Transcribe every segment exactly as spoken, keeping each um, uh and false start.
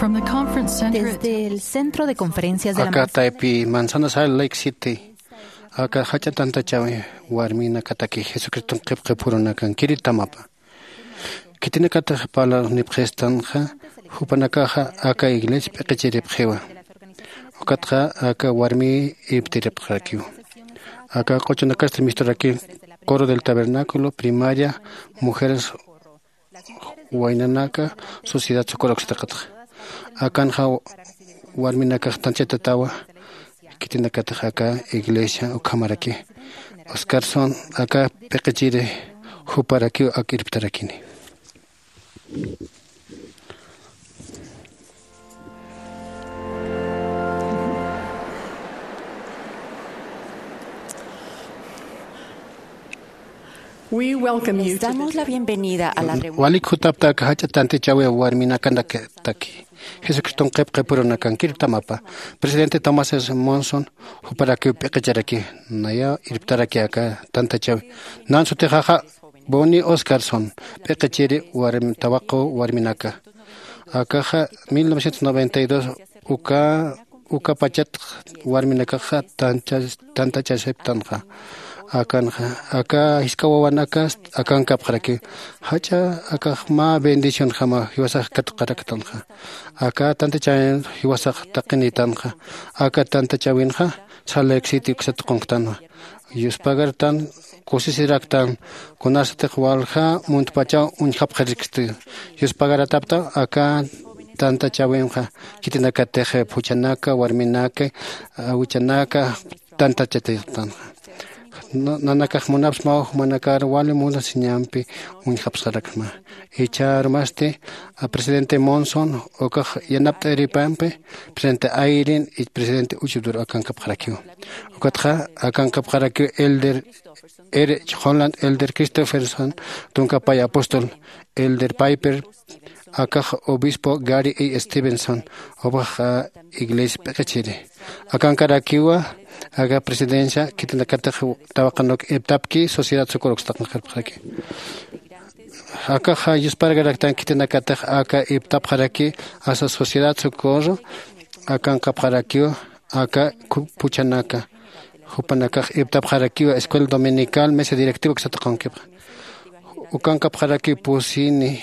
From the conference center at Desde el Centro de Conferencias de la Aka Manzana. Taypi Manzana Salt Lake City, aka jach'a tantachawi warminakataki Jesucriston qhipqipurunakankiri tamapa. Khitinakatix parlarnipxistanxa, jupanakaxa aka iglesia p'iqichiripxiwa. Ukatxa aka warmi irptiripxarakiw. Aka q'uchunakasti misturaki Coro del Tabernáculo, Primaria, Mujeres, Waynanaka, Sociedad Socorro uksataqatxa. Akanxa warminakax tanchatawa, khitinakatix aka iglesia ukhamaraki. Oscarson aka p'iqichiri juparakiw ak irptarakini. We welcome you to Les damos la bienvenida a la reunión. Walik jutapta aka jach'a tantachawi warminakataki. Jesucriston qhipqipurunakankiri tamapa. Presidente Thomas S. Monson juparakiw p'iqicharaki, nayaw irptaraki aka tantachawi. Nan sutixaxa Bonnie Oscarson, p'iqichiri warmi, tawaqu warminaka. Akaxa mil novecientos noventa y dos uka, uka pachat warminakaxa tancha, tantachasiptanxa. Akanxa, aka jisk'a wawanakas akankapxaraki. Jach'a akax mä bendicionjama jiwasax katqaraktanxa. Aka tantachawin jiwasax taqinitanxa. Aka tantachawinxa Salt Lake City uksat tuqunxtanwa. Yuspagartan, kusisiraktan, kunasatix walja muntpachaw uñjapxiriksti. Yuspagaratapta aka tantachawinxa, khitinakatix phuchhanaka, warminaka, awichanaka, tantachataytanxa. Na-, nanakax munapsmaw jumanakar wali munasiñampi uñjapxarakma. Jichhärumasti, a, presidente Monson, ukax yanapt'iripampi, presidente Eyring, y presidente Uchuduru akankapxarakiw. Ukatxa akankapxarakiw elder R. Holland, elder Christopherson, tunka pay apóstol, elder Piper, akax obispo Gary E. Stevenson, ukax, a, iglesia p'iqichiri. Akankarakiwa, aka presidencia, khitinakatix tawaqanuk irptapki, Sociedad Socorro uksat tuqunxaraki. Akaxa yuspargaraktan khitinakatix aka irptapxaraki, asa Sociedad Socorro, akankapxarakiwa, aka ku-, phuchhanaka. Jupanakax irptapxarakiwa, Escuela Dominical, mesa directiva uksat tuqunkipxa. Ukankapxaraki pusini,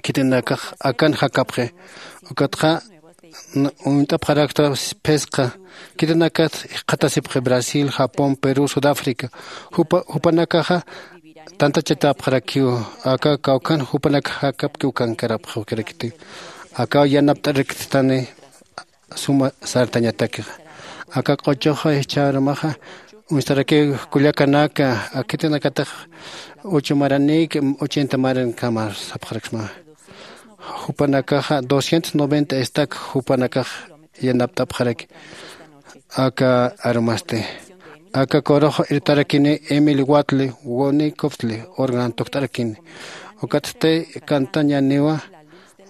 khitinakax akan jakapxi. Ukatxa n-, uñt'apxarakta phisqa. Khitinakat jikxatasipxi Brasil, Japón, Perú, Sudáfrica. Jupa-, jupanakaxa tantachatapxarakiw. Aka kawkhan jupanakax jakapki ukankarapxarakiti. Akaw yanapt'arakistani suma sartañatakixa. Aka q'uchuxa jichhärumaxa, uñstarakiw kullakanaka, a, khitinakatix ocho maranïk, ochenta marankama sapxaraksma. Jupanakaxa doscientos noventa estak jupanakax yanapt'apxaraki. Aka arumasti. Aka corox irptarakini Emily Watley, Bonnie Copsley, órgano tukt'arakini. Ukatsti cantañäniwa,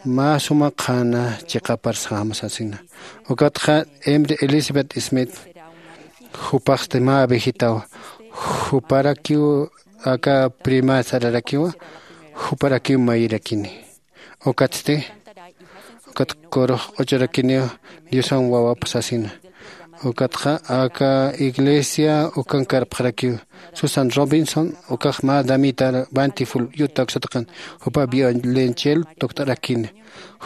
mä suma qhana chiqapar sasina. Ukatxa Emily Elizabeth Smith, jupaxsti mä abejitaw, juparakiw aka prima sararakiwa, juparakiw mayirakini. Ukatsti, ukat corox q'uchurakiniw Diosan wawap sasina. Ukatxa aka iglesia ukankarapxarakiw. Susan Robinson, ukax mä damita Bountiful, Utah uksat tuqin, jupa violonchelo tukt'arakini.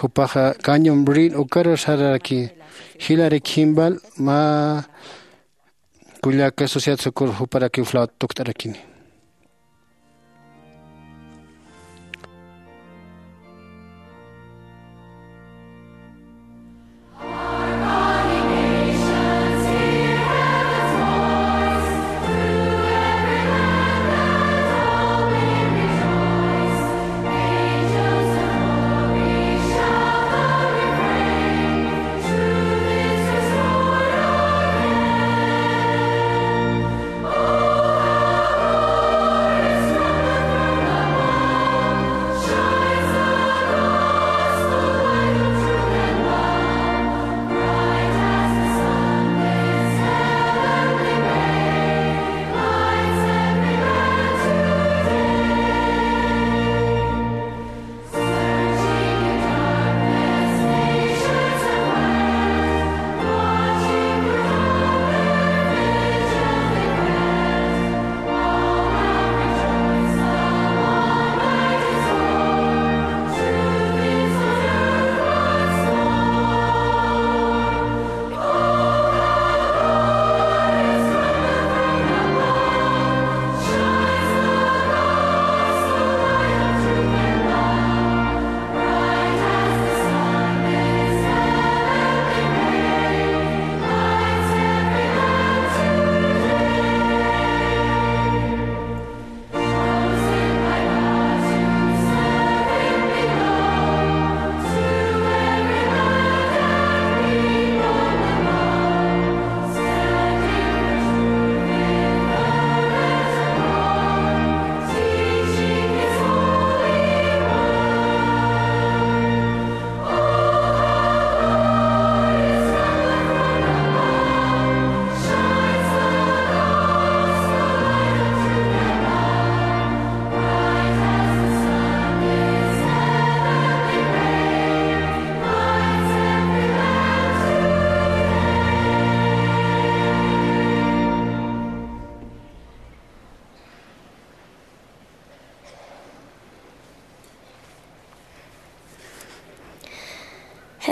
Jupaxa Canyon Breen ukaru sararaki. Hillary Kimball, mä kullaka Sociedad Socorro, juparakiw flauta tukt'arakini.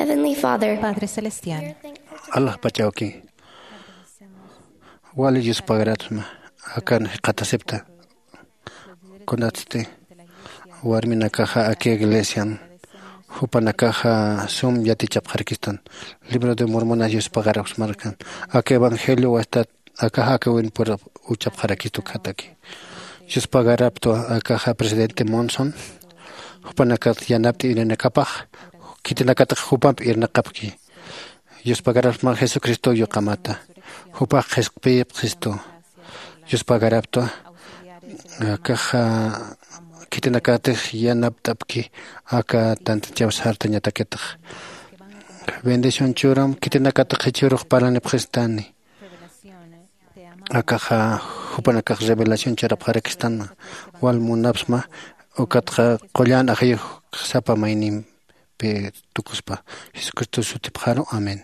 Heavenly Father, Padre Celestial, alaxpachawki. Wali yuspagaratma akan jikxatasipta. Kunatsti warminakaxa aka iglesian jupanakaxa sum yatichapxarakistan. Libro de Mormonas yuspagarakismarkan. Aka evangelio wastat akaxa aka winpur uchapxarakistu khataki. Yuspagaraptwa akaxa presidente Monson jupanakat yanapt'i irinakapax khitinakatix jupamp irnaqapki. Yuspagarapxma Jesucristo yuqamata. Jupax qhisqpipxistu. Yuspagaraptwa akaxa khitinakatix yanapt'apki aka tantachaw sartañatakitix. Bendición churam khitinakatix jichhürux parlanipxistani. Akaxa jupanakax revelación churapxarakistana. Wal munapsma ukatxa qullan ajayux sapa maynimpi tukuspa. Jesucristo sutipxaru. Amén.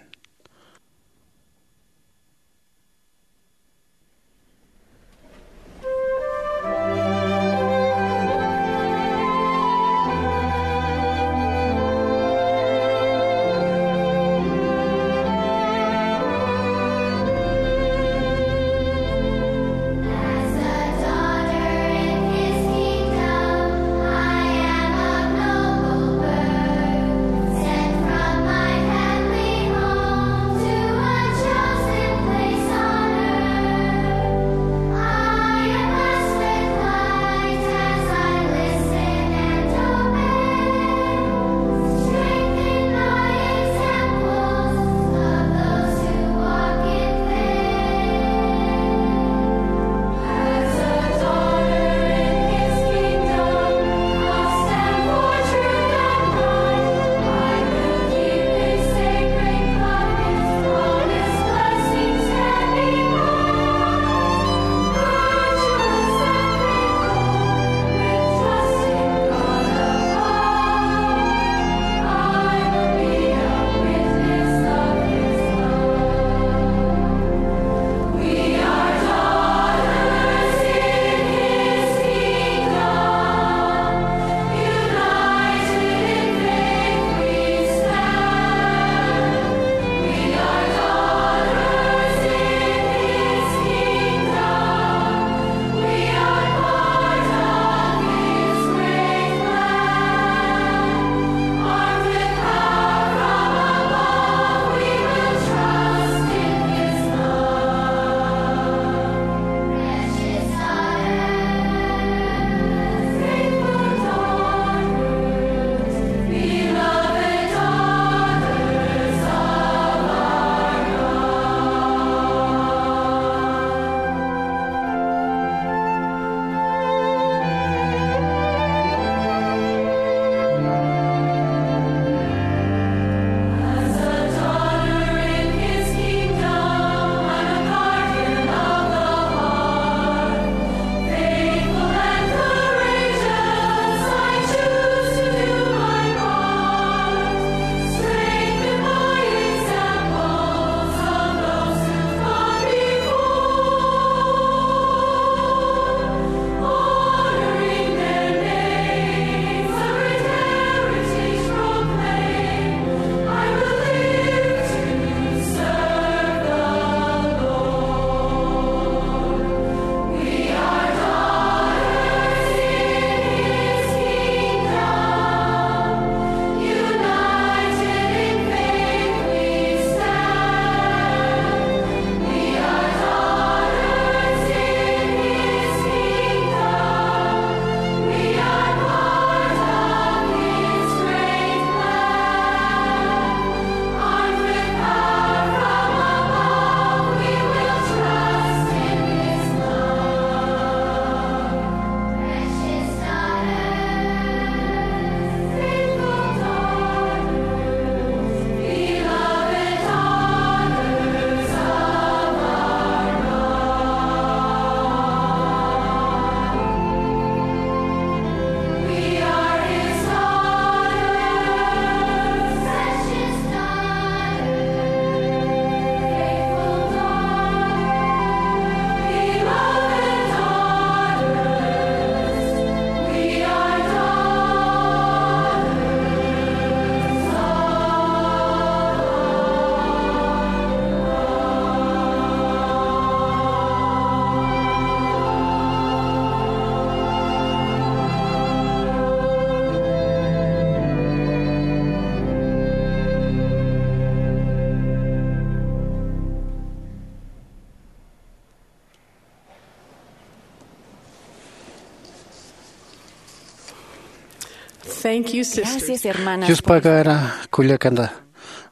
Thank you, sisters. Gracias, hermanas. Yuspagara kullakanda.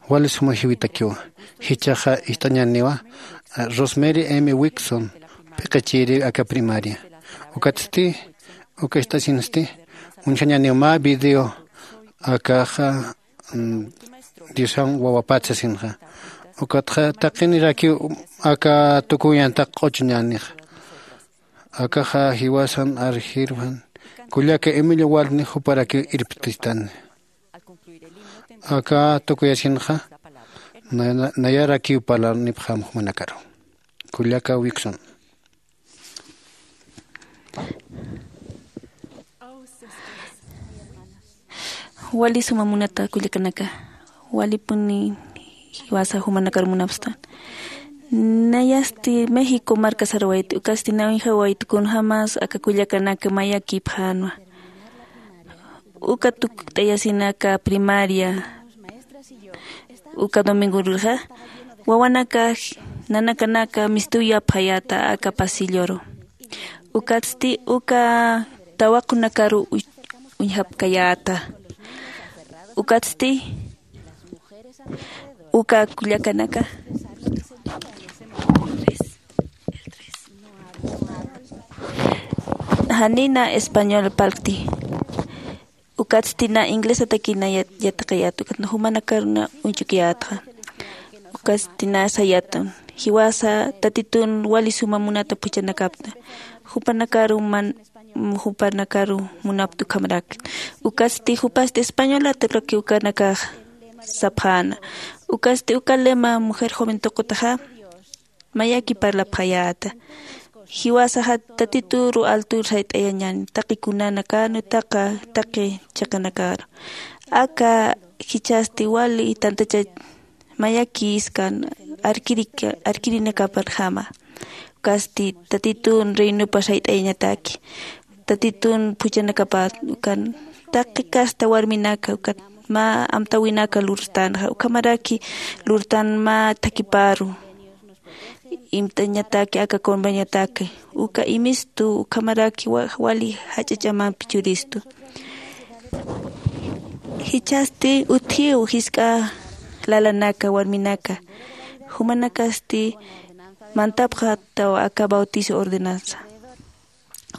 Wali suma jiwitakiwa. Jichaxa ist'añaniwa, eh, Rosemary M Wixon, p'iqichiri aka primaria. Ukatsti, uka ist'asinsti, uñjañaniwa mä video, akaxa, mm, Diosan wawapatsa sinxa. Ukatxa taqinirakiw aka tukuyan taq q'uchuñanixa. Akaxa jiwasan arjirwan, kullaka Emilio Waltni juparakiw irptistani. Aka tukuyasinxa, na-, na-, nayarakiw parlanipxam jumanakaru. Kullaka Wixon. Wali suma munata kullakanaka, walipuni jiwasa jumanakar munapstan. Nayasti México marka sarwayt, ukasti nawijaw wayt kunjamas aka kullakanaka mayakipxänwa. Uka tukt'ayasinaka primaria, uka domingo rurxa, wawanaka, nanakanaka mistuya phayata aka pasilloru. Ukatsti uka tawaqunakaru uy-, uñjapkayäta. Ukatsti uka kullakanaka janina español parlkti. Ukatsti na inglesataki na yat-, yatiqayät, ukat na jumanakaruna uñchukiyätxa. Ukatsti na sayätan. Jiwasa Tatitun wali suma munata phuchhanakapta. Jupanakaru man-, jupanakaru munapta ukhamarak. Ukatsti jupasti españolataki ukanakax sapxäna. Ukatsti uka lema mujer joven tuqutaxa mayaki parlapxayäta. Jiwasaxa Tatituru altur sayt'ayañäni, taqi kunanakänu, taqa, taqi chiqanakaru. Aka jichhasti wali tantachach mayakïskan arkirika-, arkirinakaparjama. Ukasti Tatitun reinupa sayt'ayañataki. Tatitun phuchhanakapat ukan taqi kasta warminaka, ukat mä amtäwinaka lurstanxa, ukhamaraki lurtan mä thakiparu. Imt'añataki aka conveniotak, uka imistu, ukhamaraki wa-, wali jach'a ch'amampi churistu. Jichhasti utjiw jisk'a lalanaka, warminaka. Jumanakasti mantapxätaw aka bautizo ordenanza.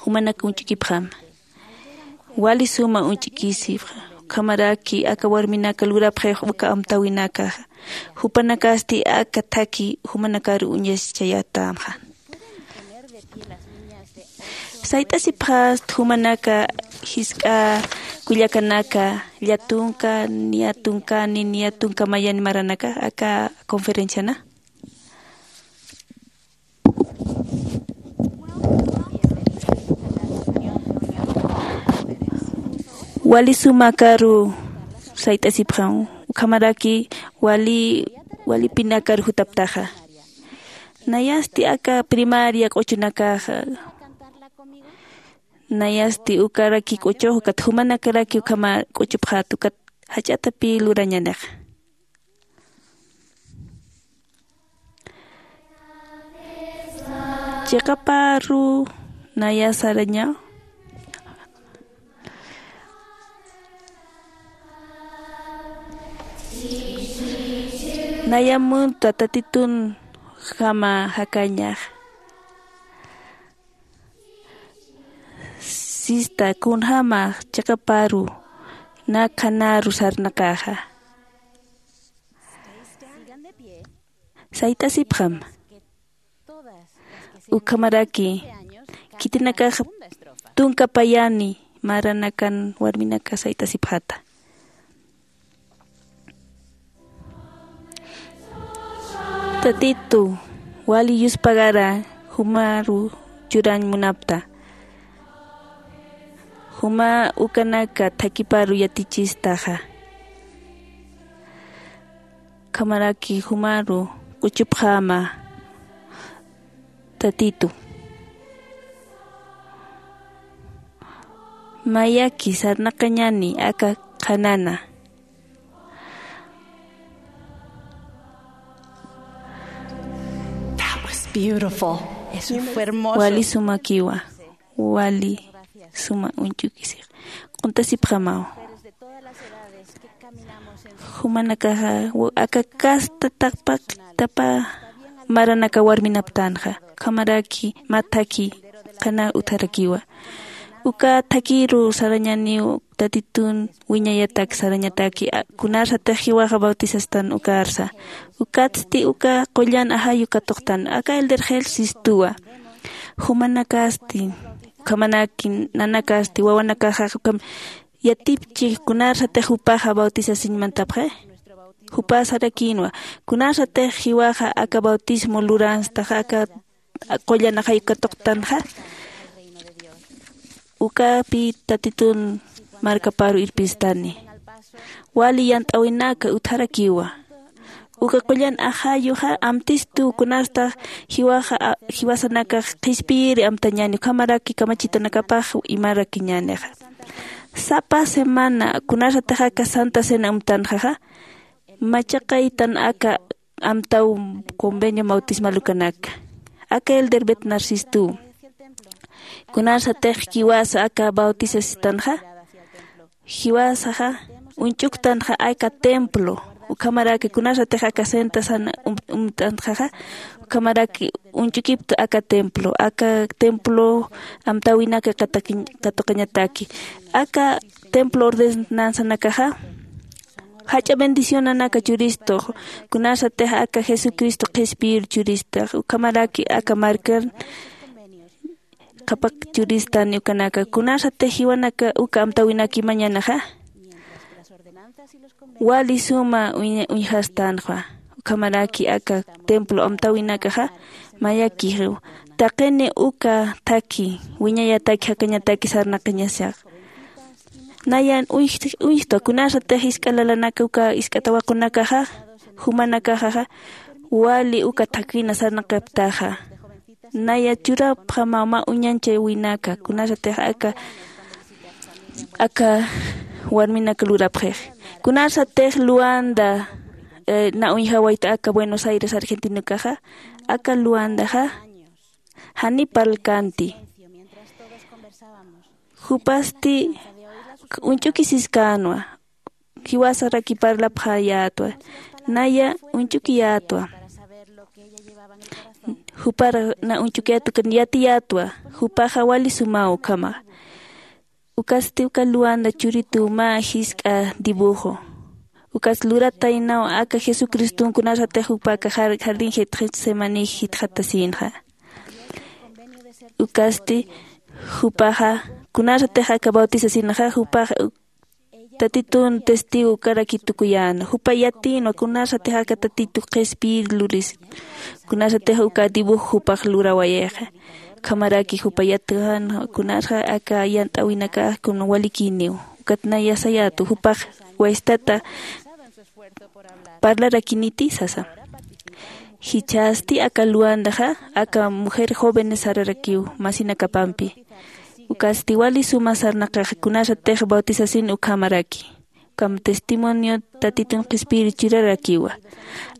Jumanaka uñch'ukipxam. Wali suma uñch'ukisipxa. Ukhamaraki aka warminaka lurapxix uka amtäwinakaxa. Jupanakasti aka thaki jumanakaru uñaschayätamxa. Sayt'asipxast jumanaka jisk'a kullakanaka, llätunka, niya tunka, ni niya tunka mayani maranaka, aka conferenciana. Wali sumakaru sayt'asipxam, ukhamaraki wali, walipinakar jutaptaxa. Nayasti aka primaria q'uchunakaxa. Nayasti ukaraki q'uchux, ukat jumanakaraki ukhama q'uchupxät, ukat jach'atapï lurañanixa. Chiqaparu naya saraña. Naya munta Tatitun jama jakañax. Sista, kunjama chiqaparu na qhanaru sarnaqaxa. Sayt'asipxam. Ukhamaraki, khitinakax tunka payani maranakan warminaka sayt'asipxäta. Tatitu, wali yuspagara jumaru churañ munapta. Juma ukanaka thakiparu yatichistaxa. Ukhamaraki jumaru q'uchupxäma, Tatitu. Mayaki sarnaqañani aka qhanana. That was beautiful. Eso fue hermoso. Wali sumakiwa. Wali suma uñch'ukisix. Q'untasipxamaw. Jumanakaxa aka kasta tapa tapa maranaka warminaptanxa, ukhamaraki mä thakhi qhana utjarakiwa. Uka thakhiru sarañaniw tatitun wiñayatak sarañataki kunasatix jiwaxa bautisastan ukarsa. Ukatsti uka qullan ajayu katuqtan aka elder jel sistuwa. Jumanakasti ukhamanaki nanakasti wawanakaxa ukham yatipchi kunarsatix jupaxa bautisasiñ mantapxi. Jupa sarakïnwa kunarsatix jiwaxa aka bautismo luranstaxa aka qullan ajayu katuqtanxa. Ukapi tatitun markaparu irpistani. Wali yant'äwinaka utjarakiwa. Uka qullan ajayuxa amtistu kunarstax jiwaxa jiwasanakax qhispiyiri amtañäni ukhamaraki kamachitunakapax imarakiñänixa. Sapa semana kunarsatix aka santa cena amtanxaxa machaqaytan aka amtaw convenio bautismal ukanaka. Aka elder bet narcistuw kunarsatix jiwasa aka bautisasistanxa jiwasaxa uñch'uktanxa aka templo. Ukhamaraki kunarsatix aka santa cena umt'anxaxa ukhamaraki uñch'ukiptu aka templo aka templo amtäwinaka katuqañataki. Aka templo ordenanzanakaxa jach'a bendicionanaka churistux kunarsatix aka jesucristo qhispiyir churistix ukhamaraki aka markan qhapak churistan ukanaka kunarsatix jiwanaka uka amtäwinaki mañanaxa. Wali suma uñjastanxa ukhamaraki aka templo amtäwinakaxa mayakixiw taqini uka thakhi wiñayataki jakañataki sarnaqañasax. Nayan uñjtwa kunarsatix jisk'a lalanaka uka jisk'a tawaqunakaxa jumanakaxaxa wali uka thakhina sarnaqaptaxa. Naya churapxama mä uñanchäwinaka kunarsatix aka aka warminaka lurapxix. Kunarsatix luanda na uñjawayta aka buenos aires argentinakaxa aka luandaxa jani parlkänti. Jupasti uñch'ukisiskänwa jiwasaraki parlapxayätwa. Naya uñch'ukiyätwa jupar na uñch'ukiyätwa yatiyätwa. Jupaxa wali sumaw ukhama. Ukasti uka luanda churituw mä jisk'a dibujo. Ukas lurataynaw aka jesucriston kunasatix jupa aka jardín getsemanij jitxatasïnxa. Ukasti jupaxa kunasatix aka bautizasinxa jupaxa tatitun testigo ukaraki tukuyäna jupa yatïnwa kunasatix aka tatitu qhispiyir luris. Kunasatix uka dibujo jupax lurawayixa ukhamaraki jupa yatïnwa kunasxa aka yant'äwinakax kuna walikïniw. Ukat naya sayätwa jupax waystata parlarakiniti sasa. Jichhasti aka luandaxa aka mujer jóvenes sararakiw masinakapampi. Ukasti wali suma sarnaqax kunasatix bautizasin ukhamaraki. Ukham testimonio tatitun qhispiyir churarakiwa.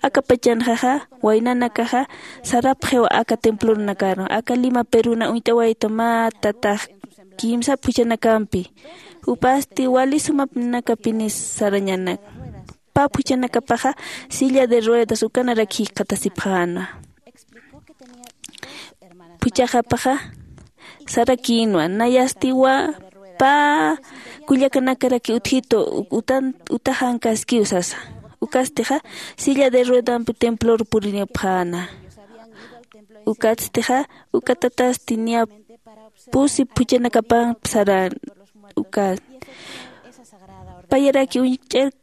Aka pachanxaxa waynanakaxa sarapxiw aka templorunakaru aka lima peruna uñt'awayta mä tatax kimsa phuchhanakampi. Jupasti wali sumapnakapinis sarañanak pä phuchhanakapaxa silla de ruedas ukanarak jikxatasipxänwa. Phuchhaxapaxa sarakïnwa nayasti pä kullakanakaraki utjitu utaxankaskiw sasa. Ukastixa silla de ruedampi templor purinipxäna. Ukatstixa uka tatasti niya pusi phuchhanakapan saran. Uka payaraki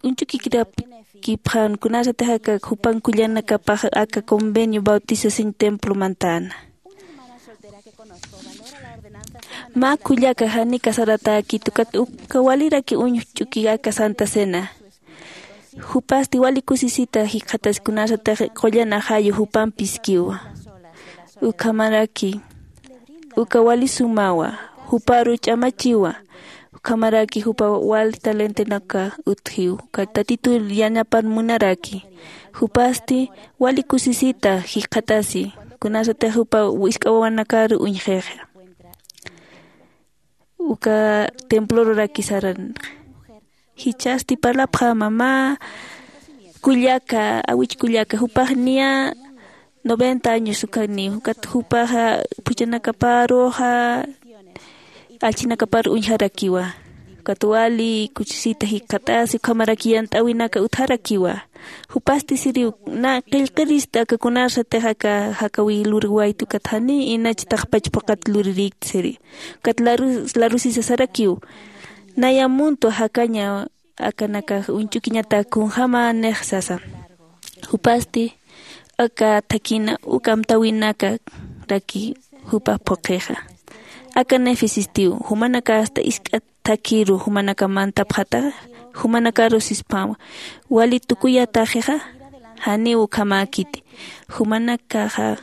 uñch'ukikirapkipxän kunasatix aka jupan kullanakapax aka convenio bautizasiñ templo mantäna. Mä kullaka jani casaratäkit ukat uka waliraki uñjch'uki aka santa cena. Jupasti wali kusisita jikxatasi kunasatix qullan ajayu jupampiskiwa. Ukhamaraki uka wali sumawa juparu ch'amachiwa. Ukhamaraki jupa wali talentonaka utjiw uka tatitu yanapan munaraki. Jupasti wali kusisita jikxatasi kunasatix jupa wisk'a wawanakaru uñjixa. Uka temploruraki saranxa Jichhasti parlapxama mä kullaka, awich kullaka, jupax niya noventa años ukhaniw, ukat jupaxa phuchhanakaparuxa, allchhinakapar uñjarakiwa. Ukat wali kuchisita jikxatasi, ukhamaraki yant'äwinaka utjarakiwa. Jupasti siriw, na qillqirista aka kunasatix aka jakawi lurwayta ukat jani inach taqpach phuqhat lurirïkta siri. Ukat laru-, larusisa sarakiw. Naya muntwa jakaña akanakax uñch'ukiñatak kunjäma nix sasa. Jupasti aka thakina uk amtäwinakaraki jupax phuqhixa. Aka nefesistiw, jumanakasta isk'a thakiru jumanaka mantapxataxa, jumanakaru sispama, wali tukuyataxixa, janiw ukhamäkiti. Jumanakaxa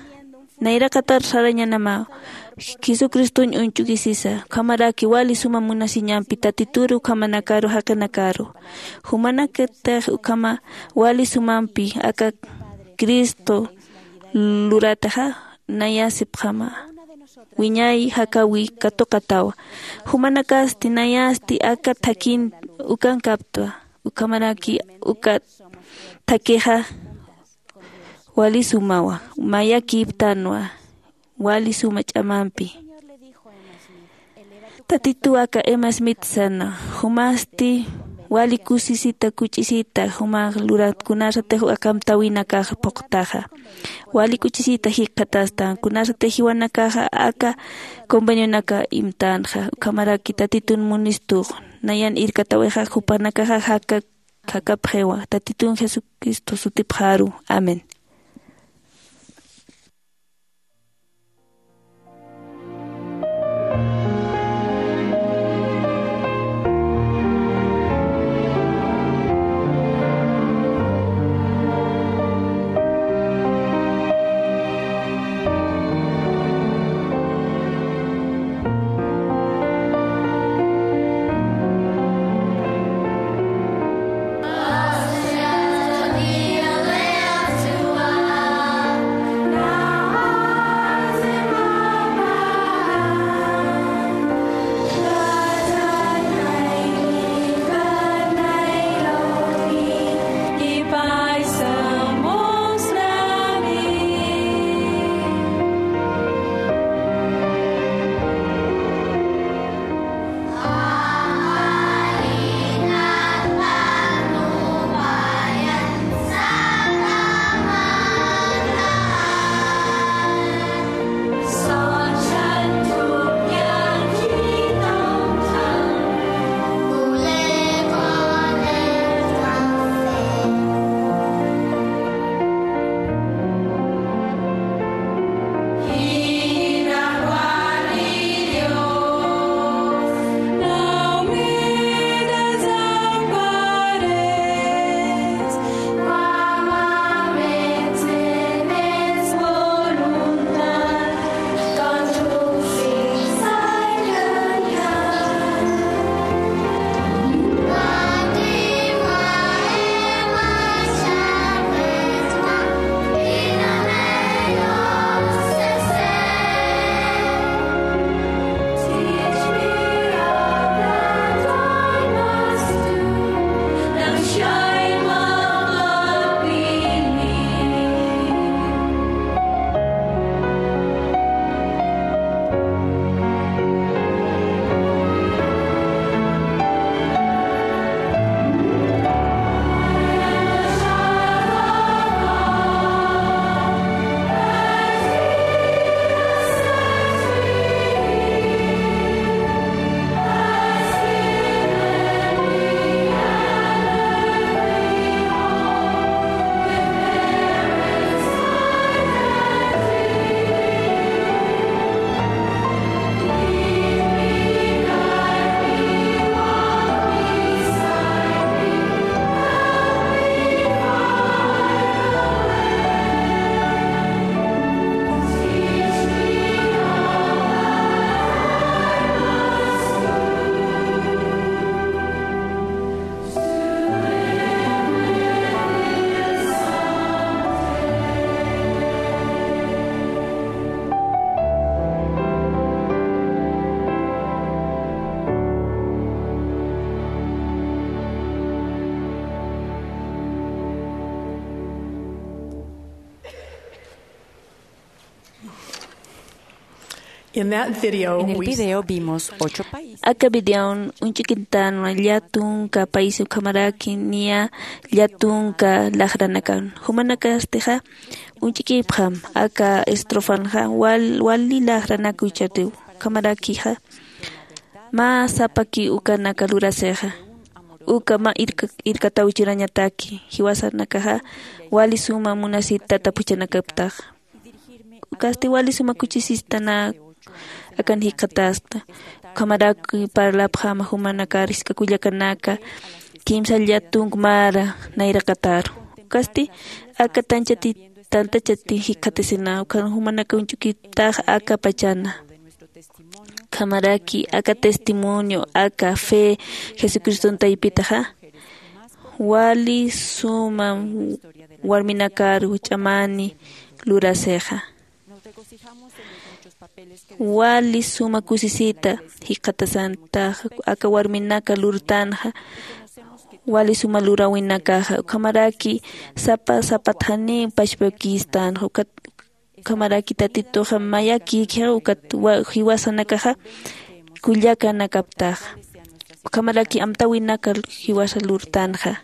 nayraqatar sarañanama Jesucristoñ uñch'ukisisa, ukhamaraki wali suma munasiñampi Tatituru ukhamanakaru jaqinakaru. Jumanakatix ukhama wali sumampi aka Cristo lurataxa, nayasipxama wiñay jakawi katuqatawa. Jumanakasti nayasti aka thakin ukankaptwa, ukhamaraki uka thakixa wali sumawa, mayakiptanwa wali suma ch'amampi. Tatituw aka Emma Smith sana, jumasti wali kusisita, kuch'isita, jumax lurat kunasatix aka amtäwinakax phuqtaxa. Wali kuchisita jikxatastan, kunasatix jiwanakaxa aka convenionaka imtanxa, ukhamaraki Tatitun munistux, nayan irkatawixa jupanakaxa jaka-, jakapxiwa, Tatitun Jesucristo sutipxaru. Amén. En el video vimos ocho países. Aka videon uñch'ukitänwa llätunka país ukhamaraki niya llätunka laxranakan. Jumanakastixa uñch'ukipxam aka estrofanxa wal wali laxranak uchatiw. Ukhamarakixa mä sapaki ukanaka lurasixa uka mä irkataw churañataki jiwasanakaxa wali suma munasit tata phuchhanakaptaxa. Ukasti wali suma kuchisistanaka akan jikxatasta. Ukhamaraki parlapxama jumanakar jisk'a kullakanaka kimsa llätunk mara nayraqataru. Ukasti aka tanchati tantachati jikxatasina ukhan jumanaka uñch'ukiptaxa aka pachana. Ukhamaraki aka testimonio aka fe jesucriston taypitaxa wali suma warminakar ch'amani lurasixa. Wali suma kusisita jikxatasantaxa aka warminaka lurtanxa wali suma luräwinakaxa ukhamaraki sapa sapat janiw pachpakistanxa. Ukhamaraki tatituxa mayakïkxa ukat jiwasanakaxa kullakanakaptaxa. Ukhamaraki amtäwinaka jiwasa lurtanxa.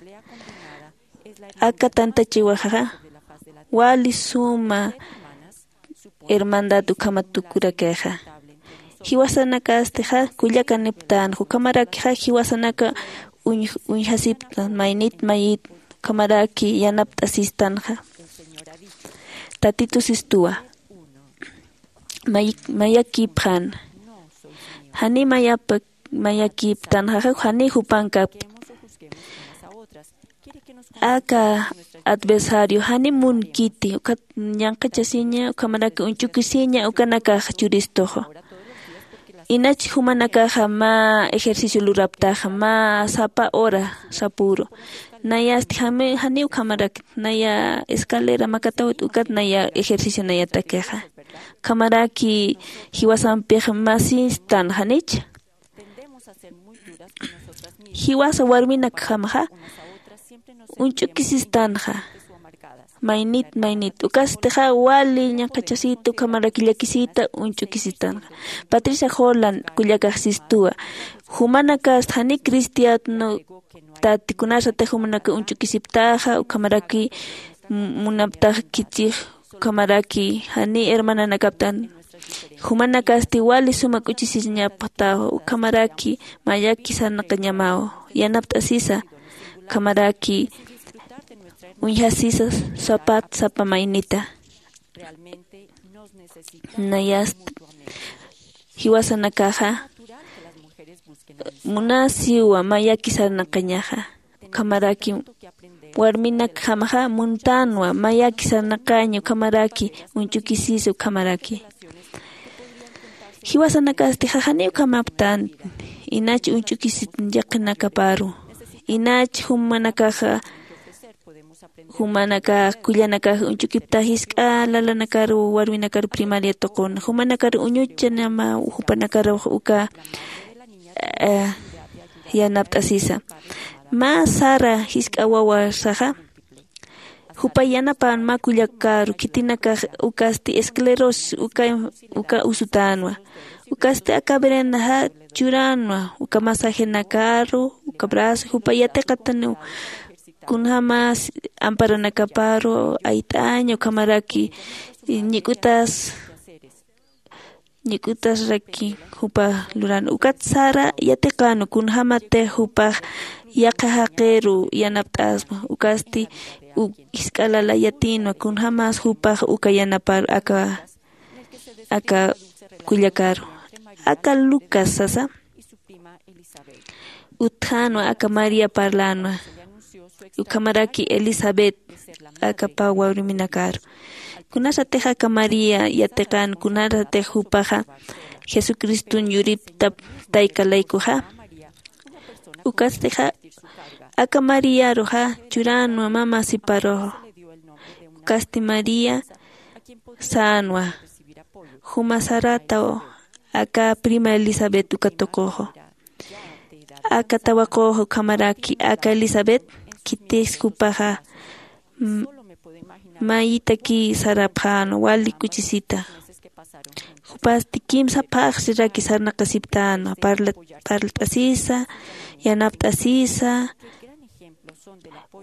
Aka tantachiwaxaxa wali suma hermandad ukhamat tukurakixa. Jiwasanakastixa kullakaniptanxa ukhamarakixa jiwasanaka uñjasiptan maynit mayit ukhamaraki yanapt'asistanxa. Tatitu sistuwa mayakipxan jani mayapa mayakiptanxaxa jani jupankapta. Aka adversario jani munkiti ukat ñanqachasiña ukhamaraki uñch'ukisiña ukanakax churistuxu. Inach jumanakaxa mä ejercicio luraptaxa mä sapa hora sapuru. Nayasti jami jani ukhamarakit naya escalera makatawit ukat naya ejercicio nayatakixa. Ukhamaraki jiwasampix masistan janich jiwasa warminakjamaxa uñch'ukisistanxa. Maynit maynit ukastixa wali ñaqachasita ukhamaraki llakisita uñch'ukisistanxa. Patricia jolan kullakaxsistuwa jumanakasta jani cristiano tati kunasatix jumanaka uñch'ukisiptaxa ukhamaraki munaptax khichix ukhamaraki jani hermananakaptan. Jumanakasti wali suma k'uchisiñapxtaw ukhamaraki mayaki sarnaqañamaw yanapt'asisa ukhamaraki uñjasisa sapat sapa maynita. Nayast jiwasanakaxa munasiwa mayaki sarnaqañaxa ukhamaraki warminakjamaxa muntanwa mayaki sarnaqaña ukhamaraki uñch'ukisisa ukhamaraki. Jiwasanakastixa jani ukhamaptan inach uñch'ukisit llaqinakaparu inach jumanakaxa jumanakax kullanakax uñch'ukiptax jisk'a lalanakar warminakar primaria tuquna jumanakar uñuchanama jupanakar uka yanapt'asisa. Mä sara jisk'a wawasaxa jupa yanapan mä kullakaru khitinakax ukasti esclerosis uka usutänwa. Ukasti aka verendaxa churänwa uka masajenakaru uka brazo jupa yatiqataniw kunjämas amparanakaparu ayt'aña ukhamaraki ñik'utas ñik'utasraki jupa luran ukat sara yatiqan kunjämatix jupax yaqha jaqiru yanapt'asma ukasti jisk'a lala yatinwa kunjämas jupax uka yanapar aka aka kullakaru aka lucas sasa utjänwa aka maría parlänwa ukhamaraki elisabet aka pä warminakaru. Kunasatix aka maría yatiqän kunasatix jupaxa jesucriston yuriptap tayka laykuxa ukastixa aka mariaruxa churänwa mä masiparuxa ukasti maría sänwa juma sarataw aka prima elisabet uka tuquxu aka tawaqux ukhamaraki aka elisabet khitis jupaxa mayitaki sarapxänwa wali kuchisita. Jupasti kimsa phaxsiraki sarnaqasiptänwa, parla parlt'asisa, yanapt'asisa,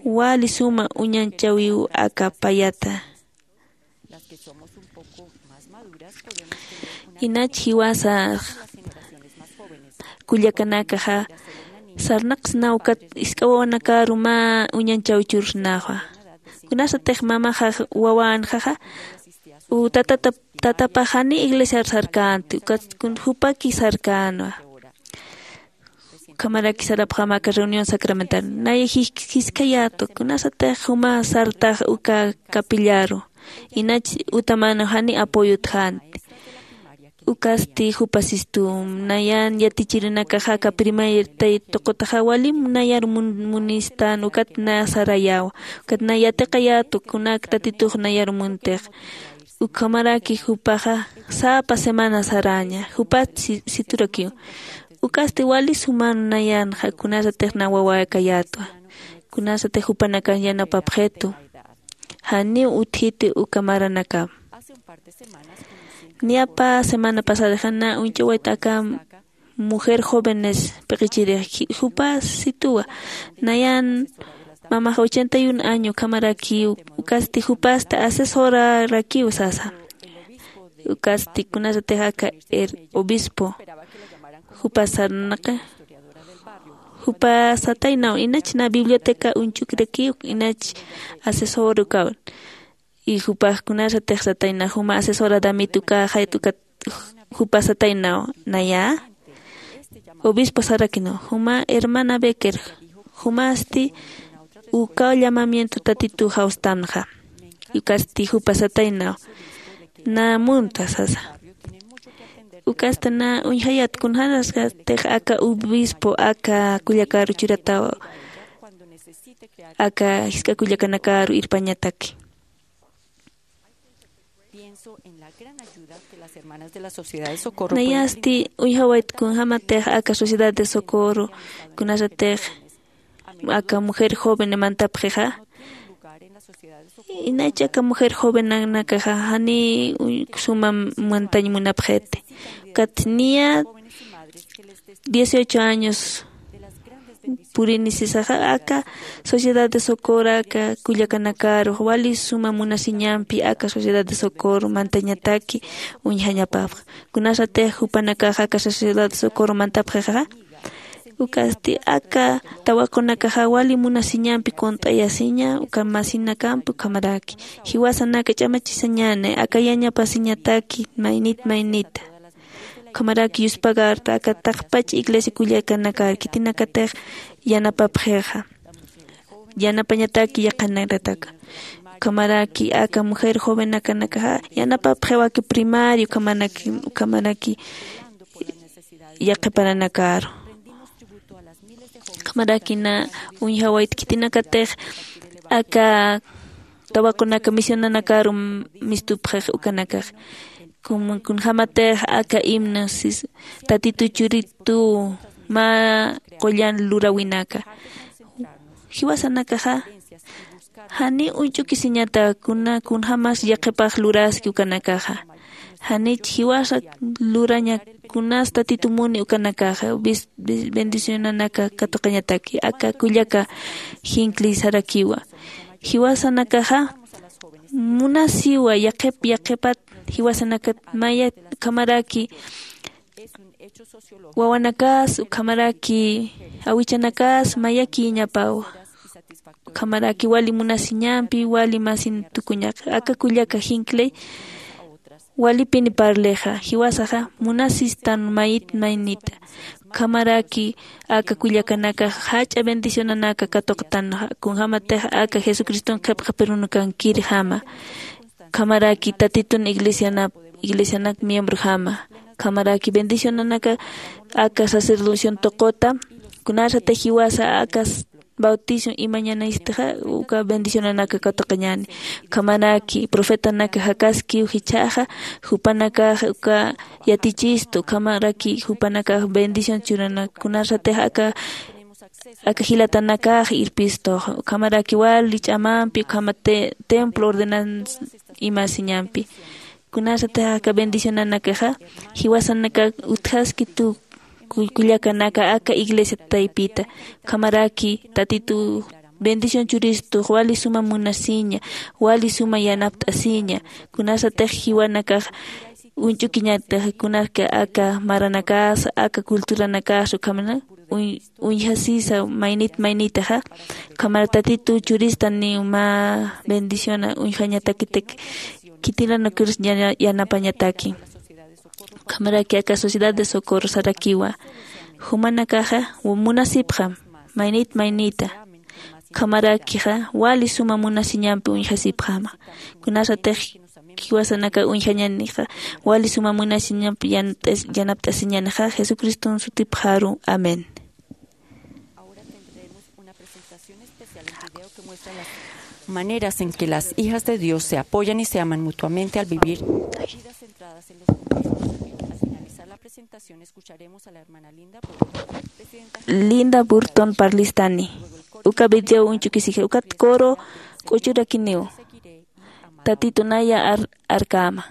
wali suma uñanchäwiw aka payata. Inach jiwasa kullakanakaxa sarnaqsnaw ukat jisk'a wawanakaru mä uñanchäwi chursnawa. Kunasatix mamaxa wawänxaxa u tatata tatapax janiw iglesiar sarkänti ukat jupaki sarkänwa. Ukhamaraki sarapxäma aka reunión sacramental naya jisk'ayätwa kunasatix juma sartax uka capillaru. Inach utamänaw janiw apoyo utjänti. Ukasti jupa sistum nayan yatichirinakaxa aka primer tay tuqutaxa walim nayar munistan ukat na sarayäwa. Ukat na yatiqayätwa kunak tatitux nayar muntix. Ukhamaraki jupaxa sapa semana saräña jupat siturakiw. Ukasti wali suman nayanxa kunasatix na wawäkayätwa. Kunasatix jupanakan yanapapxitu. Janiw utjiti uka maranakam. Niyapa semana pasadaxa na uñch'awayt aka mujer jóvenes p'iqichirix jupa situwa. Nayan mamaxa ochenta y un año ukhamaraki ukasti jupasta asesorarakiw sasa. Ukasti kunasatix aka obispo jupa sarnaqi jupa sataynaw inach na biblioteca uñchukirakiw inach asesor ukawan. Y jupax kunasatix sataynaw juma asesora damit ukaxayt ukat jupa sataynaw naya obispo sarakinaw juma hermana becker jumasti ukaw llamamiento tatitu jawstanxa. Ukasti jupa sataynaw na munta sasa. Ukasta na uñjayät kunjänasatix aka obispo aka kullakaru churataw aka jisk'a kullakanakaru irpañataki. Nayasti uñjawayt kunjämatix aka sociedad de socorro kunasatix aka mujer joven mantapxixa. Inach aka mujer jovenanakaxa janiw suma mantañ munapxiti. Ukat niya dieciocho años purini sisaxa aka sociedad de socorro aka kullakanakaru wali suma munasiñampi aka sociedad de socorro mantañataki uñjañapapxa. Kunasatix jupanakaxa aka sociedad de socorro mantapxixa ukasti aka tawaqunakaxa wali munasiñampi kunt'ayasiña uka masinakampi ukhamaraki jiwasanaka ch'amachisañäni aka yañapasiñataki maynit maynita. Ukhamaraki yuspagarta aka taqpach iglesia kullakanakar khitinakatix yanapapxixa. Yanapañataki yaqhanakataka ukhamaraki aka mujer jovenakanakaxa yanapapxiwaki primario ukhamaraki yaqhiparanakaru. Ukhamaraki na uñjawayt khitinakatix aka tawaqunaka misionanakaru mistupxix ukanakax kunjämatix aka himno sis tatitu churitu mä qullan luräwinaka. Jiwasanakaxa janiw uñch'ukisiñata kuna kunjämas yaqhipax luraski ukanakaxa. Janich jiwasa luraña kunas tatitu muni ukanakaxa bendicionanaka katuqañataki aka kullaka jinkliy sarakiwa. Jiwasanakaxa munasiwa yaqhip yaqhipat jiwasanakat mayat ukhamaraki wawanakas ukhamaraki awichanakas mayakïñapawa. Ukhamaraki wali munasiñampi wali masin tukuñaqa aka kullaka jinklay walipini parlixa jiwasaxa munasistan mayit maynita. Ukhamaraki aka kullakanakax jach'a bendicionanaka katuqtanxa kunjämatix aka jesucriston qhipqa perunukankirjama. Ukhamaraki tatitun iglesianap iglesianak miembrojama ukhamaraki bendicionanaka aka sacerdocion tuquta kunasatix jiwasa aka bautizo imañanaystixa uka bendicionanaka katuqañäni. Ukhamaraki profetanaka jakaskiw jichhaxa jupanakax uka yatichistu ukhamaraki jupanakax bendición churanak kunasatix aka aka jilatanakax irpistux ukhamaraki wali ch'amampi ukhama templo ordenanza imasiñampi. Kunasatix aka bendicionanakaxa jiwasanaka utjaski tu kullakanaka aka iglesia taypita. Ukhamaraki tatitu bendición churistux wali suma munasiña, wali suma yanapt'asiña. Kunasatix jiwanakax uñch'ukiñatix kunaka aka maranakasa aka culturanakasa ukhamana uñjasisa maynit maynitaxa. Ukhamara tatitu churistaniw mä bendiciona uñjañatakitik khitinanukiris yanapañataki. Ukhamaraki aka sociedad de socorro sarakiwa jumanakaxa munasipxam maynit maynita. Ukhamarakixa wali suma munasiñampi uñjasipxama. Kunasatix jiwasanaka uñjañanixa wali suma munasiñampi yanapt'asiñanixa jesucriston sutipxaru. Amén. Ahora tendremos una presentación especial en video que muestra las maneras en que las hijas de Dios se apoyan y se aman mutuamente al vivir vidas centradas en los demás. Al finalizar la presentación escucharemos a la hermana Linda Burton, presidenta Linda Burton parlistani. Uka video uñch'ukisiji ukat coro k'uchurakiniw. Tatitunaya arkama.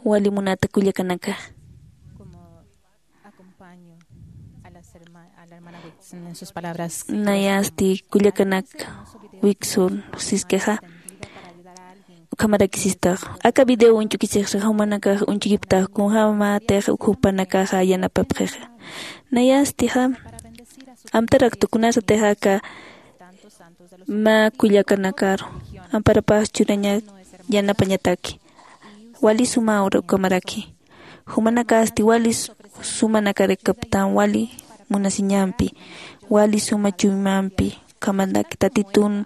Wali munata kullakanaka. Como acompaño a las herma- a la hermana Whitson en sus palabras. Nayasti kullakanak Wiksun siskixa. Ukhamaraki sistax aka video uñch'ukisixsa jumanakax uñch'ukiptax kunjämatix uk jupanakaxa yanapapxixa. Nayastixa amtaraktu kunasatix aka mä kullakanakaru amparapax churaña yanapañataki. Wali sumaw ukhamaraki. Jumanakasti wali sumanakarakaptan wali munasiñampi, wali suma chuymampi ukhamaraki tatitun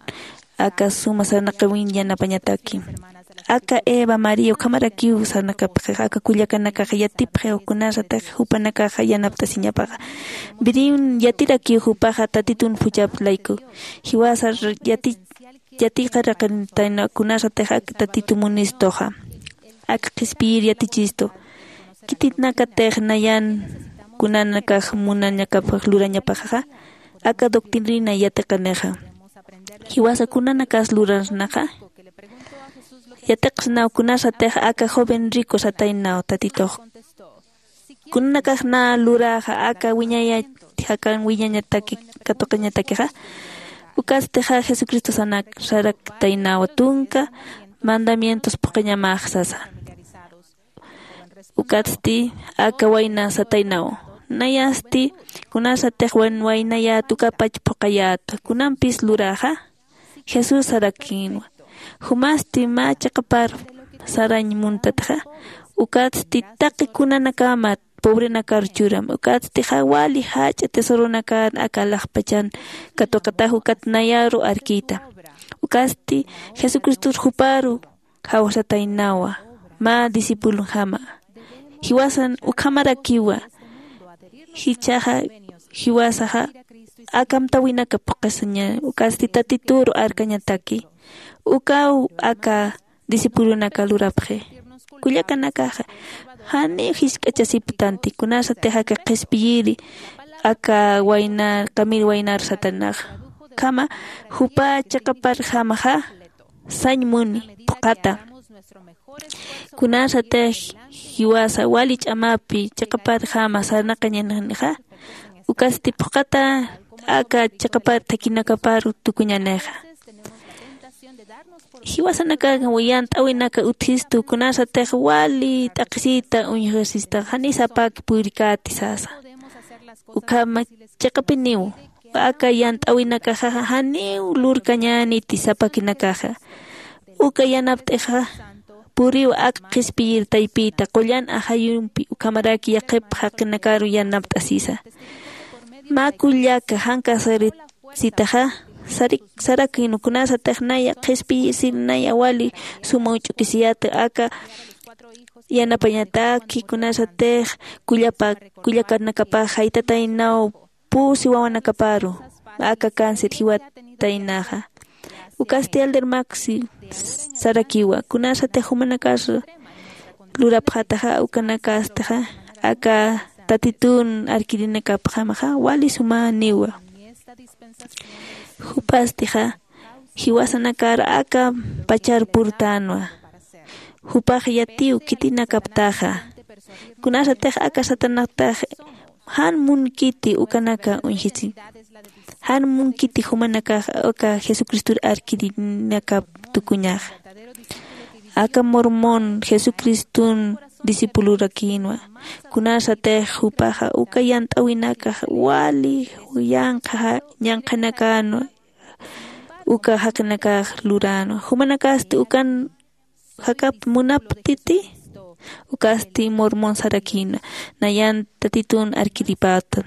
aka suma sarnaqawin yanapañataki. Aka eva maría ukhamarakiw sarnaqapxix aka kullakanakaxa yatipxiw kunasatix jupanakaxa yanapt'asiñapaxa. Biriw yatirakiw jupaxa tatitun phuchhap layku jiwasa yati yatiqaraqintaynwa kunasatix ak tatitu munistuxa ak qhispiyir yatichistu. Khitinakatix nayan kunanakax munañakapxax lurañapaxaxa aka doctrina yatiqanixa. Jiwasa kunanakas lurasnaxa yatiqsnaw kunasatix aka joven rico sataynaw tatitux kunanakax na luraxa aka wiñayat jakan wiñañataki katuqañatakixa. Ukatstixa jesucristo sanak saraktaynawa tunka mandamientos phuqañamax sasa. Ukatsti aka wayna sataynawa nayasti kunasatix waynayät ukapach phuqayät kunampis luraxa. Jesús sarakïnwa jumasti mä chiqapar sarañ muntatxa. Ukatsti taqi kunanakamat pobrenakar churam ukatstixa wali jach'a tesoronakar aka laxpachan katuqatax ukat nayaru arkïta. Ukatsti jesucristor juparu jawsataynawa mä discipulonjama. Jiwasan ukhamarakiwa jichhaxa jiwasaxa aka amtäwinaka phuqasiña ukatsti tatituru arkañataki. Ukaw aka discipulonaka lurapxi. Kullakanakaxa janiw jisk'achasiptanti kunasatix aka qhispiyiri aka waynar qamir waynar satanaxa ukhama jupa chiqaparjamaxa sañ muni phuqhata. Kunasatix jiwasa wali ch'amapi chiqaparjama sarnaqañanixa ukasti phuqhata aka chiqapar thakinakaparu tukuñanixa. Jiwasanakax yant'äwinaka utjistu kunasatix wali t'aqhisita uñjasista janiw sapak purikäti sasa. Ukhama chiqapiniw aka yant'äwinakaxa janiw lurkañäniti sapakinakaxa. Uka yanapt'ixa puriw ak qhispiyir taypita qullan ajayumpi ukhamaraki yaqhip jaqinakaru yanapt'asisa. Mä kullaka janka sarit sitaxa sarakïnwa kunasatix naya qhispiyisir naya wali suma uñch'ukisiyäta aka yanapañataki kunasatix kullapa kullakanakapax jaytataynaw pusi wawanakaparu aka cáncer jiwataynaxa. Ukasti elder max sarakiwa kunasatix jumanakas lurapxataxa ukanakastixa aka tatitun arkirinakapxamaxa wali sumäniwa. Jupastixa jiwasanakar aka pachar purtänwa. Jupax yatiw khitinakaptaxa kunasatix aka satanaktax jan munkiti ukanaka uñjisi. Jan munkiti jumanakax aka jesucristor arkirinakap tukuñaxa. Aka mormón jesucriston discipulorakïnwa. Kunasatix jupaxa uka yant'äwinakax wali yanqha ñanqhanakanwa uka jaqinakax luränwa jumanakasti ukan jakap munaptiti. Ukasti mormón sarakïna nayan tatitun arkiripätan.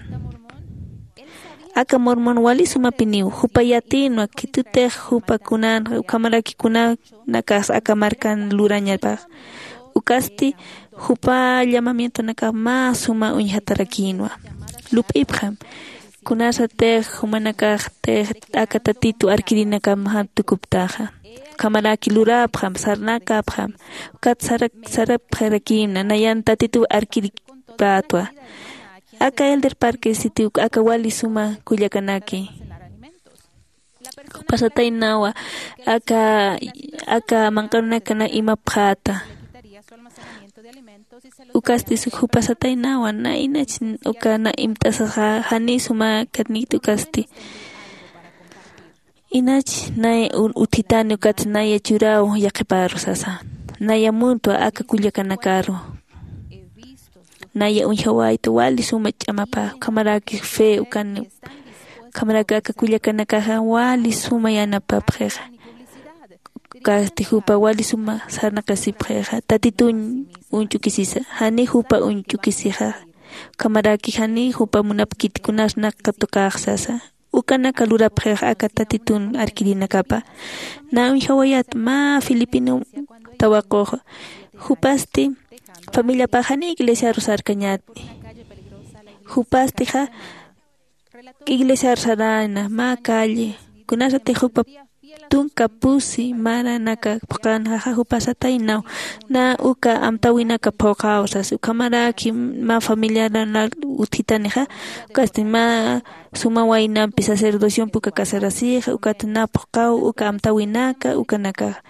Aka mormón wali sumapiniw jupa yatïnwa khitutix jupa kunanxa ukhamaraki kunanakas aka markan lurañapax. Ukasti jupa llamamientonakax mä suma uñjatarakïnwa. Lup'ipxam kunasatix jumanakaxtix aka tatitu arkirinakam jan tukuptaxa ukhamaraki luräpxam sarnakapxam. Ukat sarapxirakïna nayan tatitu arkiripätwa. Aka elder parque sitiw aka wali suma kullakanaki. Jupasataynawa aka aka manq'arunakana imapxäta. Ukasti suk jupasataynawa na inach uka na imt'asaxa jani suma katnikti ukasti. Inach nay utjitani ukats naya churaw yaqhiparu sasa. Naya muntwa aka kullakanakaru naya uñjawayta wali suma ch'amapa ukhamaraki fe ukani. Ukhamaraki aka kullakanakaxa wali suma yanapapxixa. Ukasti jupa wali suma sarnaqasipxixa tatituñ uñch'ukisisa jani jupa uñch'ukisixa. Ukhamaraki jani jupa munapkiti kunasnaq katuqax sasa. Ukanaka lurapxix aka tatitun arkirinakapa. Na uñjawayat mä filipino tawaqux jupasti familiapax jani iglesiaru sarkañati. Jupastixa iglesiaru sarana mä calle kunasatix jupa tunka pusi maranaka phuqanxaxa jupasataynaw. Na uka amtawinaka phuqaw sas ukhamaraki mä familiaranal utjitanixa. Ukasti mä suma waynampi sacerdociompi uka casarasixa ukat na phuqaw uka amtawinaka ukanakaxa.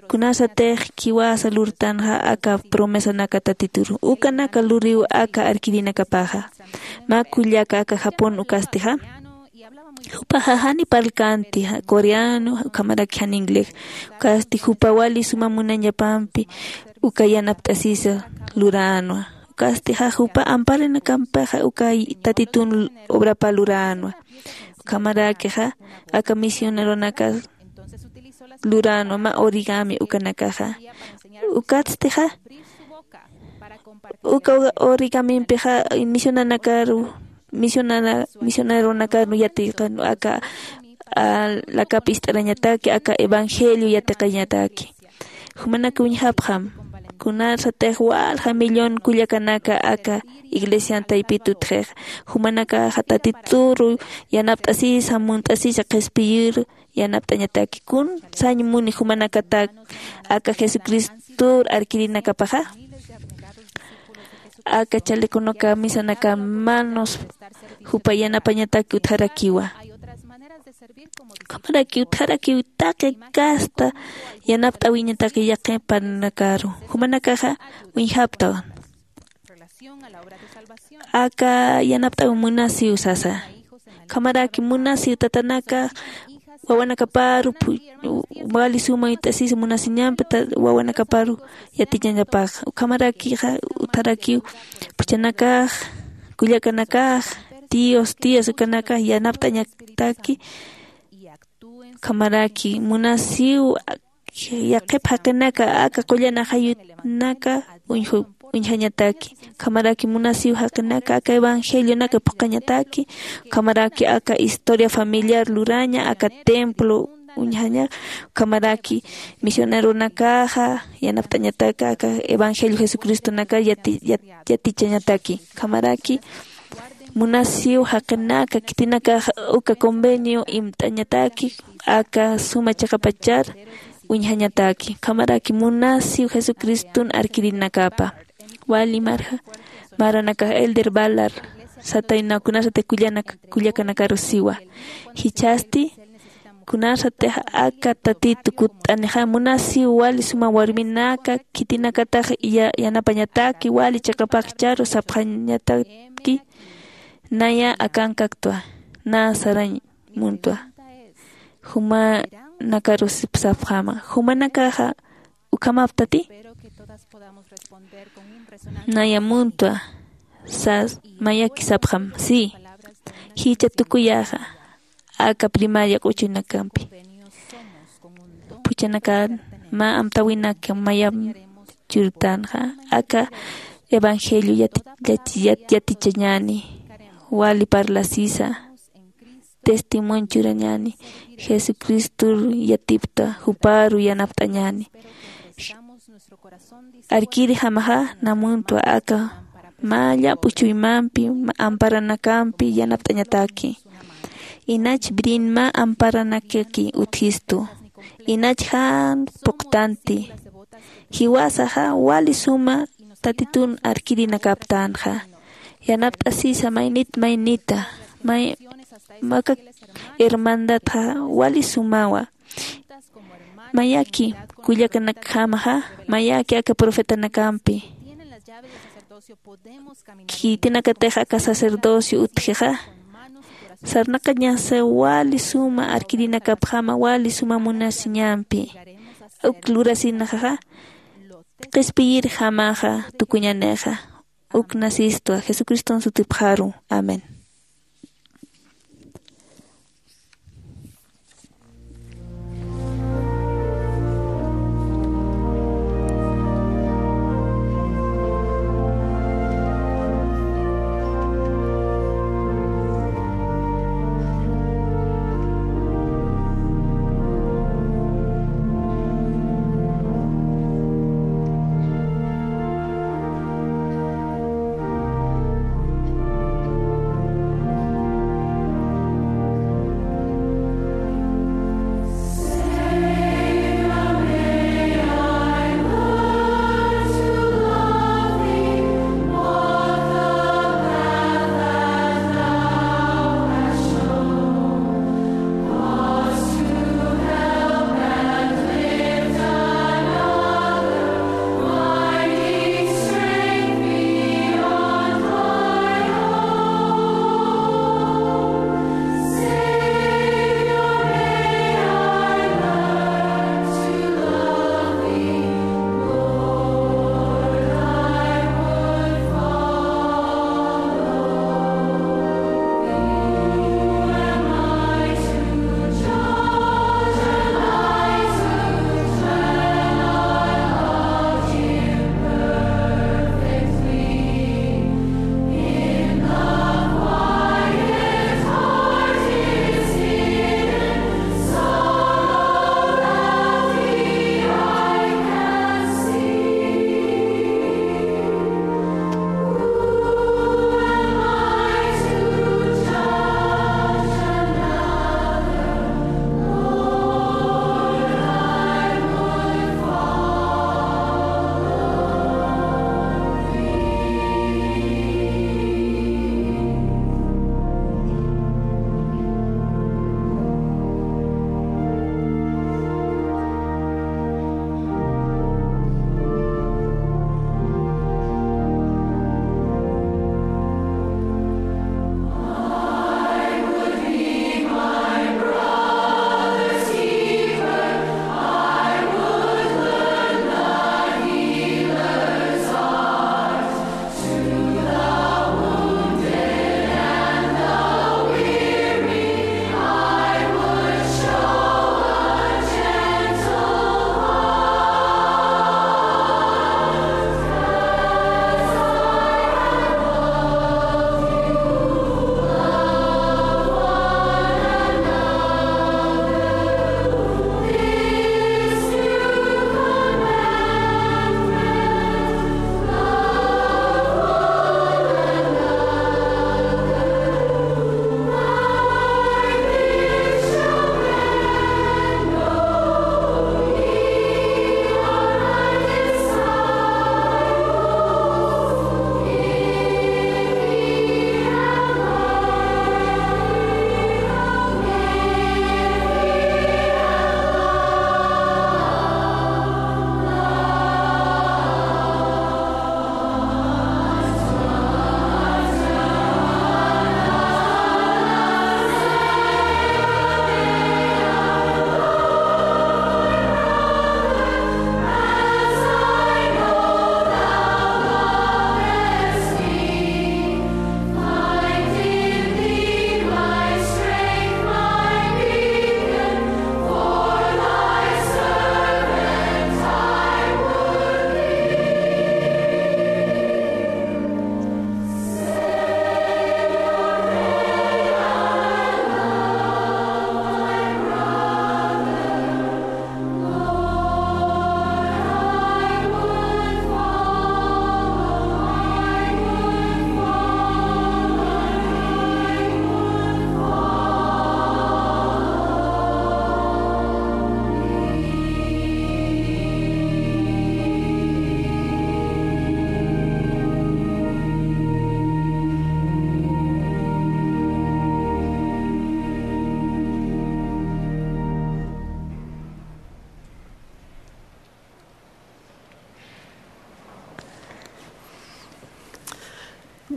Kunasatix khiwasa lurtanxa aka promesanaka tatituru ukanaka luriw aka arkirinakapaxa. Mä kullaka aka japón ukastixa jupaxa jani parlkänti coreano ukhamaraki jan inglés. Ukasti jupa wali suma munañapampi uka yanapt'asisa luränwa. Ukastixa jupa amparanakampaxa uka tatitun obrapa luränwa. Ukhamarakixa aka misioneronakas luränwa mä origami ukanakaxa. Ukatstixa uka origamimpixa misionanakaru misionana misioneronakaru yatiqan aka lakap ist'arañataki aka evangelio yatiqañataki. Jumanak uñjapxam kunasatix walja millón kullakanaka aka iglesian taypit utjix. Jumanakaxa tatituru yanapt'asisa munt'asisa qhispiyiru yanapt'añataki kun sañ muni jumanakatak aka jesucristor arkirinakapaxa. Aka chaleconaka misanaka manos jupa yanapañataki utjarakiwa. Ukhamaraki utjarakiw taqi kasta yanapt'awiñataki yaqi parnakaru jumanakaxa uñjaptawan. Aka yanapt'aw munasiw sasa. Ukhamaraki munasiw tatanaka wawanakaparu wali suma it'asisa munasiñampi wawanakaparu yatichañapax. Ukhamarakixa utarakiw phuchhanakax kullakanakax tíos tías ukanakax yanapt'añataki. Ukhamaraki munasiw yaqhip jaqinaka aka qullan ajayunaka uñjañataki. Ukhamaraki munasiw jaqinaka aka evangelionaka phuqhañataki. Ukhamaraki aka historia familiar luraña aka templo uñjaña. Ukhamaraki misioneronakaxa yanapt'añataka aka evangelio jesucristonaka yatichañataki. Ukhamaraki munasiw jaqinaka khitinakax uka convenio imt'añataki aka suma chiqapachar uñjañataki. Ukhamaraki munasiw jesucriston arkirinakapa wali marja maranakax elder balar sataynaw kunasatix kullakanakaru siwa. Jichhasti kunasatix aka tatitu kutt'anixa munasiw wali suma warminaka khitinakatax yanapañataki wali chiqapaxcharu sapxañataki. Naya akankaktwa na sarañ muntwa. Jumanakarusipsapxama jumanakaxa ukhamaptati. Naya muntwa sas mayaki sapxam si. Jicha tukuyaxa aka primaria q'uchunakampi phuchhanakan mä amtawinaka mayam churtanxa aka evangelio yatichañani wali parlasisa testimonio churañani jesucristor yatipta juparu yanapt'añani. Arkirjamaxa namuntwa aka mä llamp'u chuymampi amparanakampi yanapt'añataki. Inach brin mä amparanakaki utjistu. Inach jan puqtanti. Jiwasaxa wali suma tatitun arkirinakaptanxa yanapt'asisa maynit maynita. Aka hermandadxa wali sumawa. Mayaki kullakanakjamaxa mayaki aka profetanakampi Khitinakatix aka sacerdocio utjixa sarnaqañasa wali suma arkirinakapjama wali suma munasiñampi. Uk lurasinxaxa qhispiyirjamaxa tukuñanixa. Uk nasistwa jesucriston sutipxaru. Amén.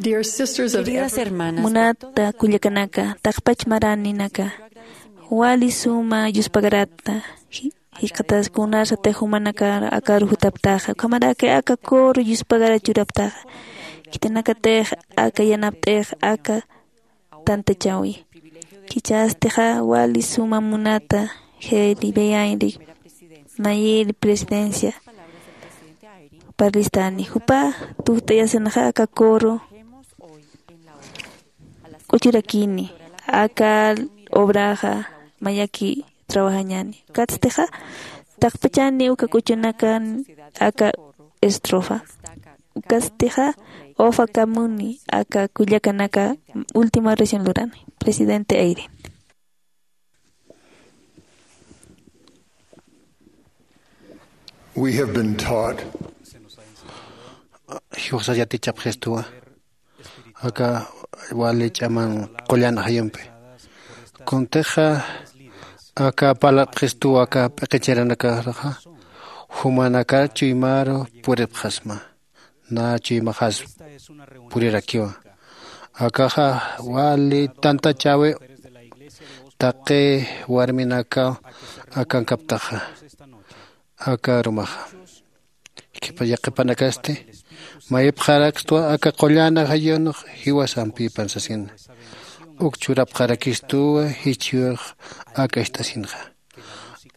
Queridas hermanas, munata kullakanaka, taqpach maraninaka, wali suma yuspagarata. Jikxatas kunarsatix jumanakar akaru jutaptaxa, ukhamaraki aka coro yuspagara churaptaxa, khitinakatix aka yanapt'ix aka tantachawi. Khichastixa wali suma munata jeli beyainri mayiri presidencia parlistani jupa tujt'ayasinaxa aka coro k'uchurakini aka obraxa mayaki trabajañani. Ukatstixa taqpachani uka k'uchunakan aka estrofa. Ukatstixa ofakamuni aka kullakanaka última oración lurani. Presidente Eyring. We have been taught. Jiwasa yatichapxistuwa aka wali ch'aman qullan ajayumpi. Kuntixa aka parlapxistuwa aka p'iqichiranakaraxa jumanakar chuymaru puripxasma. Na chuymaxas purirakiwa. Akaxa wali tantachäwi taqi warminakaw akankaptaxa aka arumaxa. Yaqhipanakasti mayipxarakstwa aka qullan ajayunx jiwasampipan sasina. Uk churapxarakistuwa jichhürx aka ist'asinxa.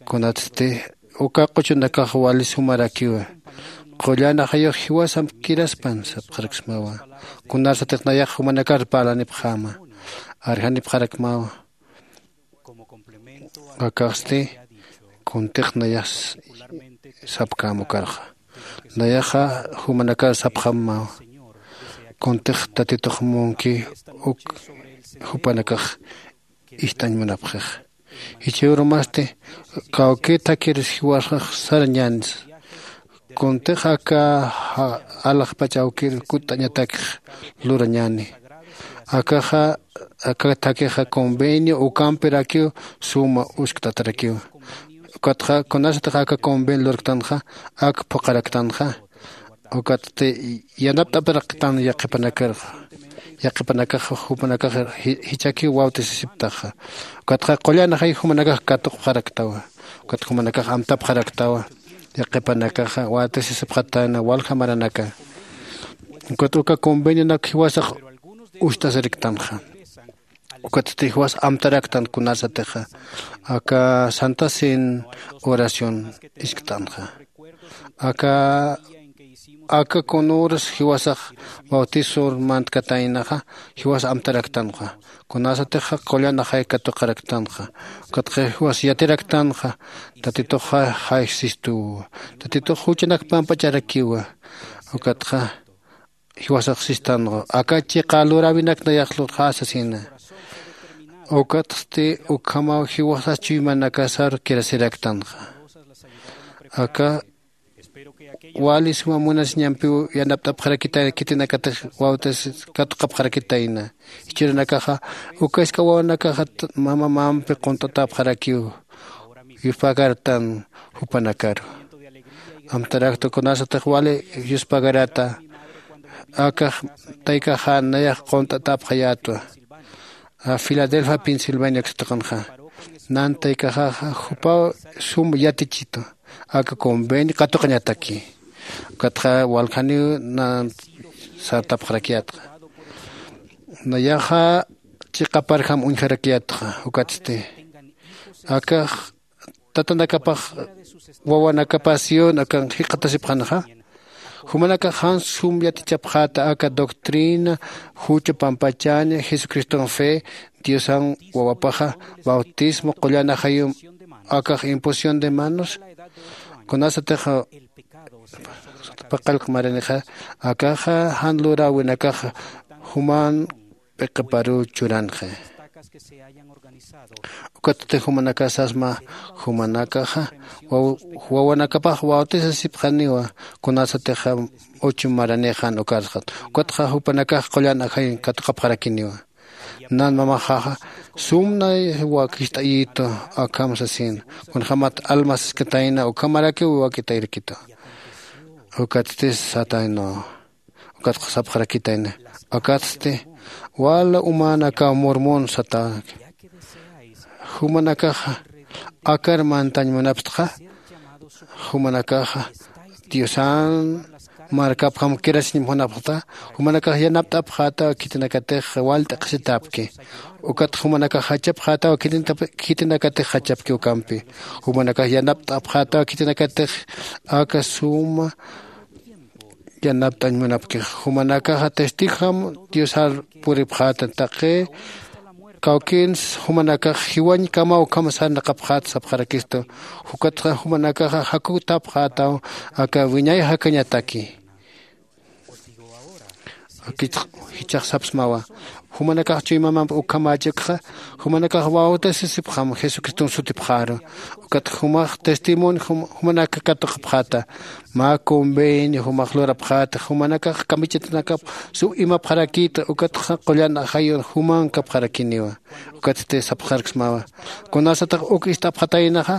Kunatsti uka q'uchunakax wali sumarakiwa. Qullan ajayux jiwasampkiraspan sapxaraksmawa. Kunarsatix nayax jumanakar parlanipxäma arjanipxarakmawa. Akaxsti kuntix nayax sapkäm ukarxa. Nayaxa jumanakar sapxämawa. Kuntix tatitux munki uk jupanakax ist'añ munapxix. Jichhürumasti kawkïr thakhiris jiwasax sarañänsa. Kuntix aka alaxpach awkïr kutt'añatakix lurañäni. Akaxa aka thakhixa convenio ukampirakiw suma uskt'atarakiw. Ukatxa kunasatix aka convenio lurktanxa ak phuqharaktanxa. Ukatsti yanapt'aparaktan yaqhipanakar yaqhipanakax jupanakax jichakiw bautisasiptaxa. Ukatxa qullan ajay jumanakax katuqpxaraktawa. Ukat jumanakax amtapxaraktawa. Yaqhipanakaxa bautisasipxatana walja maranaka. Ukat uka convenionak jiwasax ust'asiriktanxa. Ukatsti jiwas amtaraktan kunarsatixa aka santa cena oración iskt'anxa. Aka aka kunuras jiwasax bautisor mantkataynaxa jiwas amtaraktanxa. Kunasatixa qullan ajay katuqaraktanxa. Ukatxa jiwas yatiraktanxa tatituxa jaysistuwa. Tatitux juchanak pampacharakiwa. Ukatxa jiwasax sistanxa aka chiqa luräwinak nayax lurxä sasina. Ukatsti ukhamaw jiwasas chuymanakasar kirasiraktanxa. Aka wali suma munasiñampiw yanapt'apxarakitayna khitinakatix bautis katuqapxarakitayna. Jichhürunakaxa uka isk'a wawanakaxa mamamampi qunt'atäpxarakiw. Yuspagartan jupanakaru amtarakta kunasatix wali yuspagarata. Akax taykaxa nayax qunt'atäpxayätwa. Filadelfia pensilvania uksa tuqinxa nan taykaxaxa jupaw sum yatichitu aka convenio katuqañataki. Ukatxa waljaniw nan sartapxarakiyätxa. Nayaxa chiqaparjam uñjarakiyätxa. Ukatsti akax tatanakapax wawanakapax sion akan jikxatasipxanxa. Jumanakax jan sum yatichapxäta aka doctrina jucha pampachaña jesucriston fe diosan wawapaxa bautismo qullan ajayum akax imposición de manos. Kunasatixa paqallq maranixa akaxa jan luräwinakaxa juman p'iqiparuw churanxi. Ukatsti jumanakax sasma jumanakaxa wawanakapax bautisasipxaniwa. Kunasatixa uchu maranixan ukarxat ukatxa jupanakax qullan ajayin katuqapxarakiniwa. Nan mamaxaxa sumnay wakist'ayitu akham sasin kunjämat alma siskatayna ukhamarakiw wakitayrakitu. Ukatsti sataynaw Ukatxa sapxarakitayna, akatsti wala uman aka mormon satäki. Jumanakaxa akar mantañ munapxta. Jumanakaxa diosan markapjam kirasiñ munapxta. Jumanakax yanapt'apxätaw khitinakatix wal t'aqhisitäpki. Ukat jumanakax jachapxätaw khitinakatix jachapki ukampi. Jumanakax yanapt'apxätaw khitinakatix aka suma yanapt'añ munapkix. Jumanakaxa testigojam diosar puripxäta taqi kawkïns. Jumanakax jiwañkamaw ukham sarnaqapxäta sapxarakistu. Ukatxa jumanakaxa jakutapxätaw aka wiñay jakañataki. Jichhax sapsmawa, jumanakax chuymamamp ukhamächikxa jumanakax bautisasipxam jesucriston sutipxäru. Ukat jumax testimonio jumanak katuqapxäta. Mä convenio jumax lurapxäta jumanakax kamichatanakap sum imapxarakïta ukatxa qullan ajayun jumankapxarakiniwa. Ukatsti sapxarksmawa, kunasatix uk ist'apxataynaxa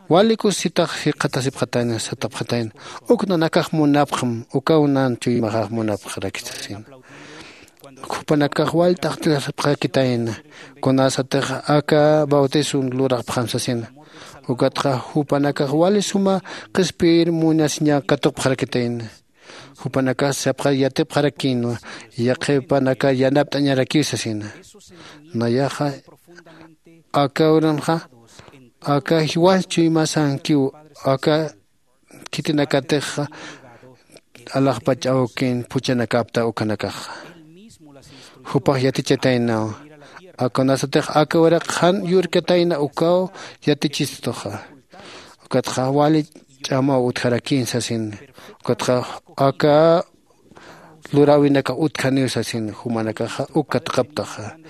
wali kusisitax jikxatasipxatayna satapxatayna. Uk nanakax munapxam ukaw nan chuymaxax munapxarakisasina. Jupanakax wal t'aqhtisipxarakitayna kunasatix aka bautiso lurapxam sasina. Ukatxa jupanakax wali suma qhispiyir munasiñaw katuqpxarakitayna. Jupanakax sapxar yatipxarakïnwa yaqhipanakar yanapt'añarakiw sasina. Nayaxa aka uranxa aka jiwas chuymasankiw aka khitinakatixa alaxpach awkin phuchhanakapta ukanakaxa. Jupax yatichataynaw akunasatix aka uraq jan yurkatayna ukaw yatichistuxa. Ukatxa wali ch'amaw utjarakïn sasin. Ukatxa aka luräwinakax utjaniw sasin. Jumanakaxa uk katuqaptaxa.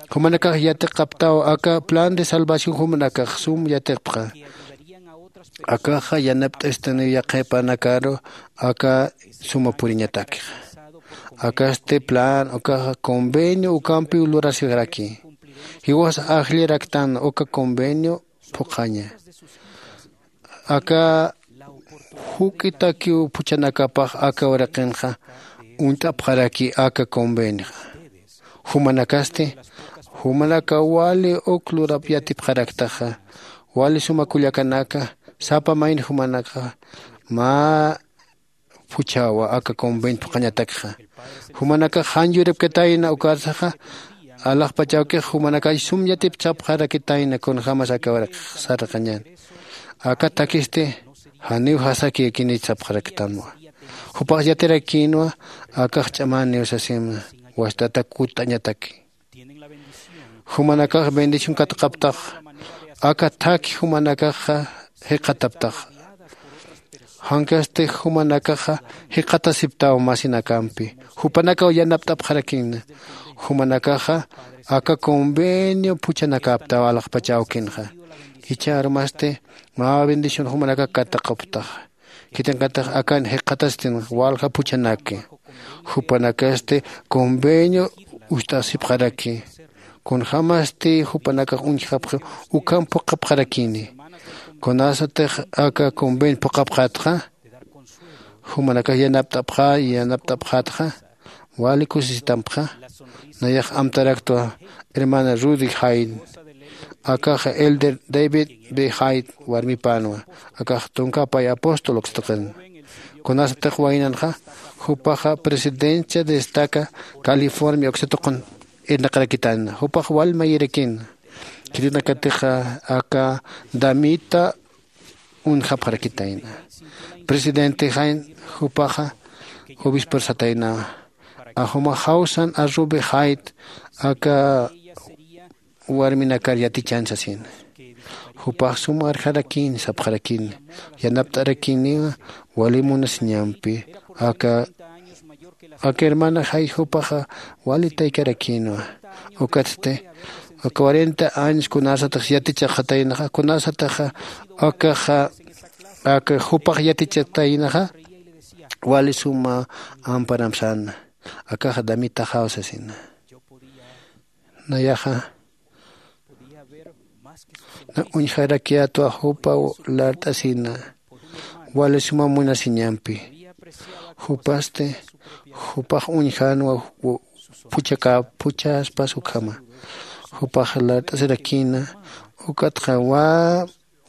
Jumanakax yatiqaptaw aka plan de salvación jumanakax sum yatiqpxa. Akaxa yanapt'istaniw yaqhipanakaru aka suma puriñatakixa. Akasti plan ukaxa convenio ukampiw lurasijaraki. Jiwas ajllaraktan uka convenio phuqhaña. Aka juk'itakiw phuchhanakapax aka uraqinxa uñt'apxaraki aka convenioxa. Jumanakasti jumanakaw wali uk lurap yatipxaraktaxa. Wali suma kullakanaka sapa mayni jumanakaxa mä phuchhawa aka convenio phuqhañatakxa. Jumanakax jan yuripkatayna ukatsaxa alaxpach awkix jumanakax sum yatipchapxarakitayna kunjämas aka uraqix sarnaqañän. Aka thakisti janiw jasakïkinich sapxaraktanwa. Jupax yatirakïnwa akax ch'amäniw sasimna. Wast'ata kutt'añataki. Jumanakax bendición katuqaptax aka thakhi jumanakaxa jikxataptax. Jankasti jumanakaxa jikxatasiptaw masinakampi. Jupanakaw yanapt'apxarakïna. Jumanakaxa aka convenio phuchhanakaptaw alaxpach awkinxa. Jichha armasti mä bendición jumanakax katuqaptaxa. Khitinakatix akan jikxatastin walja phuchhanaki. Jupanakasti convenio uñt'asipxaraki. Kunjämasti jupanakax uñjapxi ukham phuqhapxarakini. Kunasatix aka convenio phuqhapxätxa jumanakax yanapt'apxä yanapt'apxätxa wali kusisitampxa. Nayax amtaraktwa hermana Rudy Hyde. Akaxa elder David B Hyde warmipänwa. Akax tunka pay apóstol uksataqin. Kunasatix waynanxa jupaxa presidencia destaca california uksatuqun irnaqarakitana jupax wal mayirakina. Khitinakatixa aka damita uñjapxarakitayna. Presidente jain jupaxa obispor sataynawa. Ajuma jawsan arrubi jayt aka warminakar yatichan sasin. Jupax sum arjarakïn sapxarakïn. Yanapt'arakïniwa wali munasiñampi aka aka hermana jay jupaxa wali taykarakïnwa. Ukatsti cuarenta años kunasatix yatichaxataynaxa kunasataxa akaxa aka jupax yatichataynaxa wali suma amparamsana. Akaxa damitaxaw sasina. Nayaxa na uñjarakiyatwa jupa lart'asina wali suma munasiñampi. Jupasti Jupax uñjänwa phuchhaka phuchhaspas ukhama. Jupax lart'asirakïna. Ukatxa wä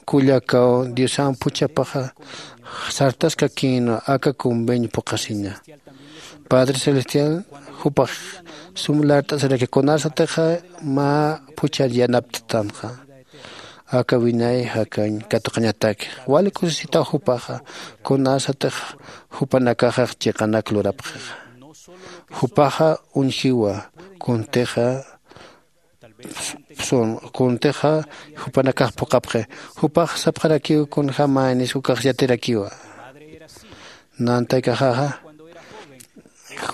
kullakaw diosan phuchhapaxa sartaskakïnwa aka conveño phuqhasiña. Padre celestial jupax sum lart'asiraki kunasatixa mä phuchhar yanapttanxa. Aka wiñay jakañ katuqañataki wali kusisitaw jupaxa kunasatix jupanakaxax chiqanak lurapxixa. Jupaxa uñjiwa kuntixa sun kuntixa jupanakax phuqapxi. Jupax sapxarakiw kunjämänis ukax yatirakiwa. Nantaykaxaxa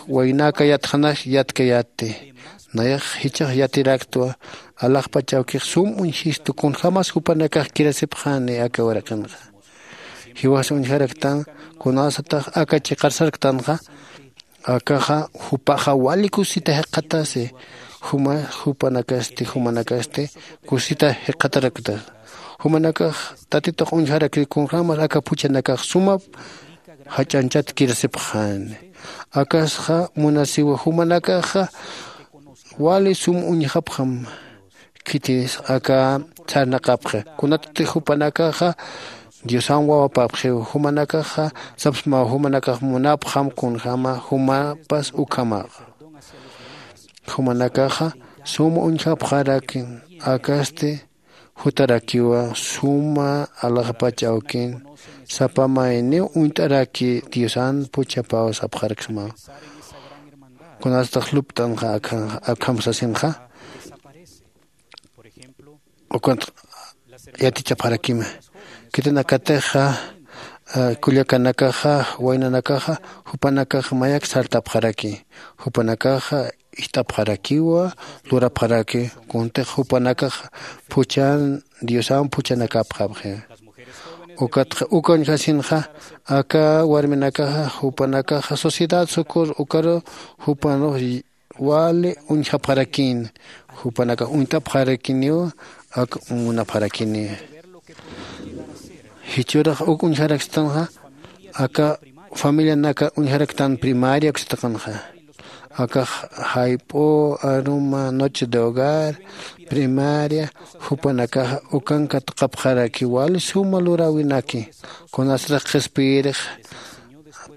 waynäka yatxanax yatkayätti. Nayax jichhax yatiraktwa. Alaxpach awkix sum uñjistu kunjämas jupanakax kirasipxäni aka uraqinxa. Jiwas uñjaraktan kunasatax aka chiqar sarktanxa akaxa jupaxa wali kusisita jikxatasi. Juma jupanakasti jumanakasti kusisita jikxatarakta. Jumanakax tatitux uñjarakir kunjämas aka phuchhanakax suma jach'añchat kirasipxäni. Akasxa munasiwa jumanakaxa wali sum uñjapxam. Khitis aka sarnaqapxi kunatati jupanakaxa diosan wawapapxiw. Jumanakaxa sapsmaw jumanakax munapxam kunjäma jumapas ukhamaxa. Jumanakaxa suma uñjapxarakin akasti jutarakiwa suma alaxpach awkin sapa mayniw uñt'araki diosan phuchhapaw sapxaraksmaw. Kunasatax lupt'anxa akham sasinxa ukat yatichapxarakima. Khitinakatixa kullakanakaxa waynanakaxa jupanakax mayak sartapxaraki. Jupanakaxa ist'apxarakiwa lurapxaraki kuntix jupanakax phuchan diosan phuchhanakapxapxi. Ukatxa uka uñjasinxa aka warminakaxa jupanakaxa sociedad sukur ukaru jupanux wali uñjapxarakïn. Jupanakax uñt'apxarakiniw ak munapxarakini. Jichhürax uk uñjarakstanxa aka familianaka uñjaraktan primaria uksataqanxa. Akax jayp'u aruma noche de hogar primaria jupanakaxa ukan katuqapxaraki wali suma luräwinaki. Kunasatix qhispiyirix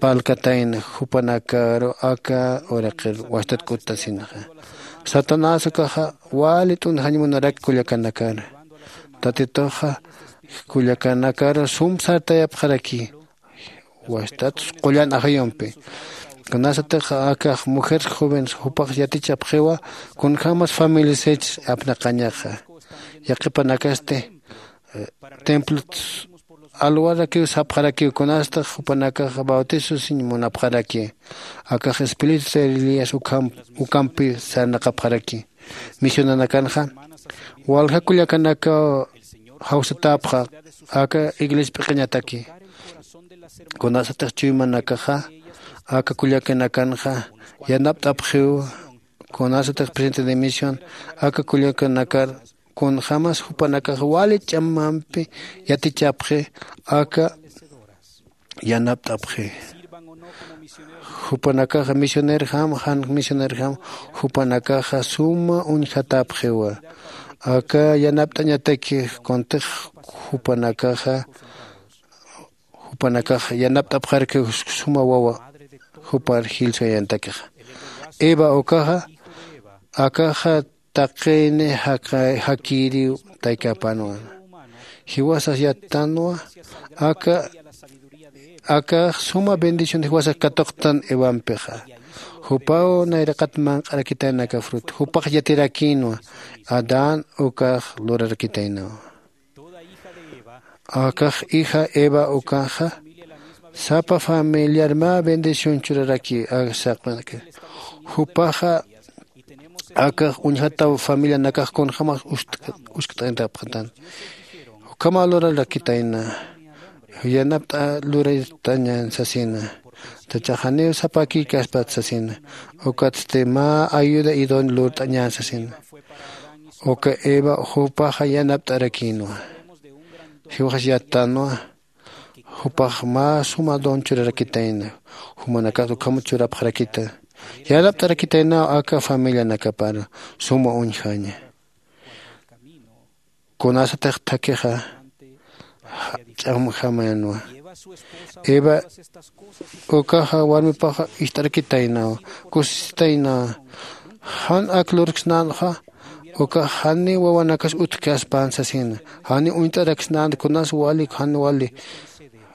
palkatayna jupanakaru aka uraqir wastatk'uttasinxa. Satanás ukaxa wali t'unjañ munaraki kullakanakar. Tatituxa kullakanakaru sum sartayapxaraki. Wastatsa qullan ajayumpi kunasatix akax mujer joven jupax yatichapxiwa kunjämas familiasachs apnaqañaxa. Yaqhipanakasti templot alwarakiw sapxarakiw kunasatix jupanakax bautisosiñ munapxaraki. Akax espíritu de elías ukampi sarnaqapxaraki. Misionanakanxa walja kullakanakaw jawsatäpxa aka iglesia p'iqañataki. Kunasatix chuymanakaxa aka kullakanakanxa yanapt'apxiw. Kunasatix presidente de misión aka kullakanakar kunjämas jupanakax wali ch'amampi yatichapxi aka yanapt'apxi. Jupanakaxa misionerjam jan misionerjam jupanakaxa suma uñjatäpxiwa. Aka yanapt'añataki kuntix jupanakaxa jupanakax yanapt'apxarki suma wawa jupar jilsuyañatakixa. Eva ukaxa akaxa taqini jakïriw taykapanwa. Jiwasax yattanwa aka akax suma bendición jiwasax katuqtan evampixa. Jupaw nayraqat manq'arakitayna aka fruta jupax yatirakïnwa. Adán ukax lurarakitaynawa. Akax hija eva ukaxa sapa familiar mä bendición churaraki. Saqmaki jupaxa akax uñjataw familianakax kunjämas uskt'añtapxatan. Ukhamaw lurarakitayna yanapt'a lurt'añän sasina. Tachaxaniw sapakïkaspat sasina. Ukatsti mä ayuda idónea lurt'añän sasina. Uka eva jupaxa yanapt'arakïnwa. Jiwaxas yattanwa Jupax mä suma don churarakitayna. Jumanakat ukhamat churapxarakita. Yanapt'arakitaynaw aka familianakapar suma uñjaña. Kunasatix thakhixa ch'amjamanwa. Eva ukaxa warmipaxa ist'arakitaynawa, kusisitaynawa. Jan ak lurksnänxa ukax jani wawanakas utjkaspan sasina. Jani uñt'araksnänti kunas wali jan wali.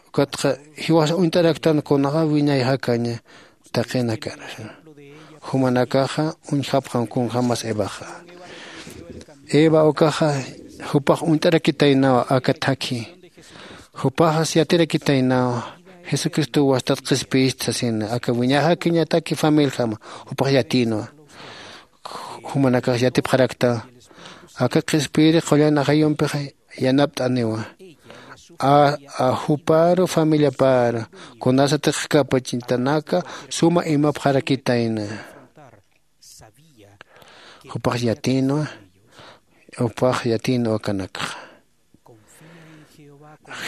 Ukatxa jiwasa uñt'araktan kunaxa wiñay jakaña taqinakar. Jumanakaxa uñjapxam kunjämas evaxa. Eva ukaxa jupax uñt'arakitaynawa aka thakhi. Jupaxas yatirakitaynawa jesucristow wastat qhispiyist sasina aka wiñay jakañataki familijama. Jupax yatïnwa. Jumanakax yatipxarakta aka qhispiyiri qullan ajayumpix yanapt'aniwa. A juparu familiaparu kunasatix kapachitanaka suma imapxarakitayna. Jupax yatïnwa. Jupax yatïnwa kanakxa.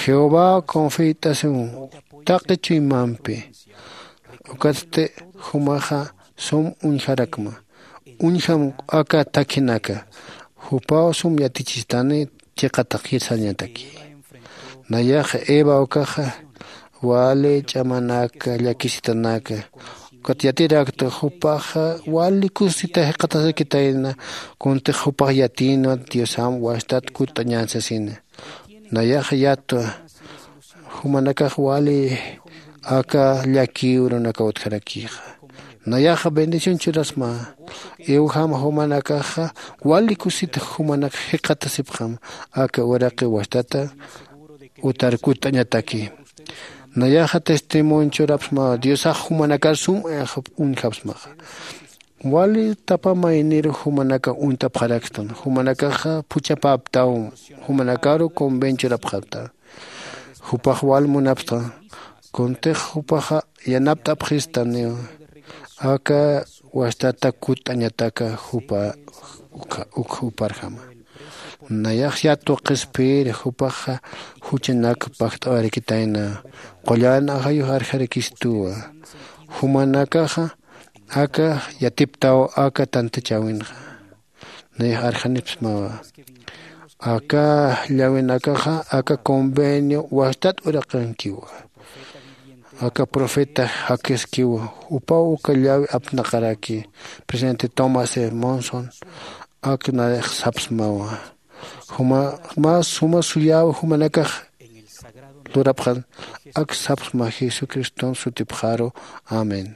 Jehová confiyt'asiw taqi chuymampi. Ukatsti jumaxa sum uñjarakma. Uñjam aka thakhinaka. Jupaw sum yatichistani chiqataqir sañataki. Nayax eva ukaxa wali ch'amanaka llakisitanaka. Ukat yatirakta jupaxa wali kusisita jiqatasakitayna. Kuntix jupax yatïnwa diosam wastat kutt'añän sasina. Nayax yatwa. Jumanakax wali aka llakiw runakaw utjarakixa. Nayaxa bendición churasma. Iwjam jumanakaxa wali kusita jumanak jikxatasipxam aka uraqi wastata utar kutt'añataki. Nayaxa testimonio churapsma diosax jumanakar sum uñjapsmaxa. Wali tapa mayniru jumanakax uñt'apxarakstan jumanakaxa phuchhapäptaw. Jumanakaru convenchurapxapta. Jupax wal munapxta. Kuntix jupaxa yanapt'apxistaniw aka wastata kutt'añataka jupa ukha- ukha juparjama. Nayax yatwa qhispiyiri jupaxa juchanak pajt'awarakitayna. Qullan ajayux arjarakistuwa. Jumanakaxa aka yatiptaw aka tantachäwinxa. Nayax arjanipsmawa. Aka llawinakaxa aka convenio wastat uraqankiwa. Aka profeta jakiskiwa. Jupaw uka llawi apnaqaraki. Presidente tomás e monson ak nayax sapsmawa. Juma mä suma suyäwi jumanakax lurapxan ak sapsma jesucriston sutipxaru. Amén.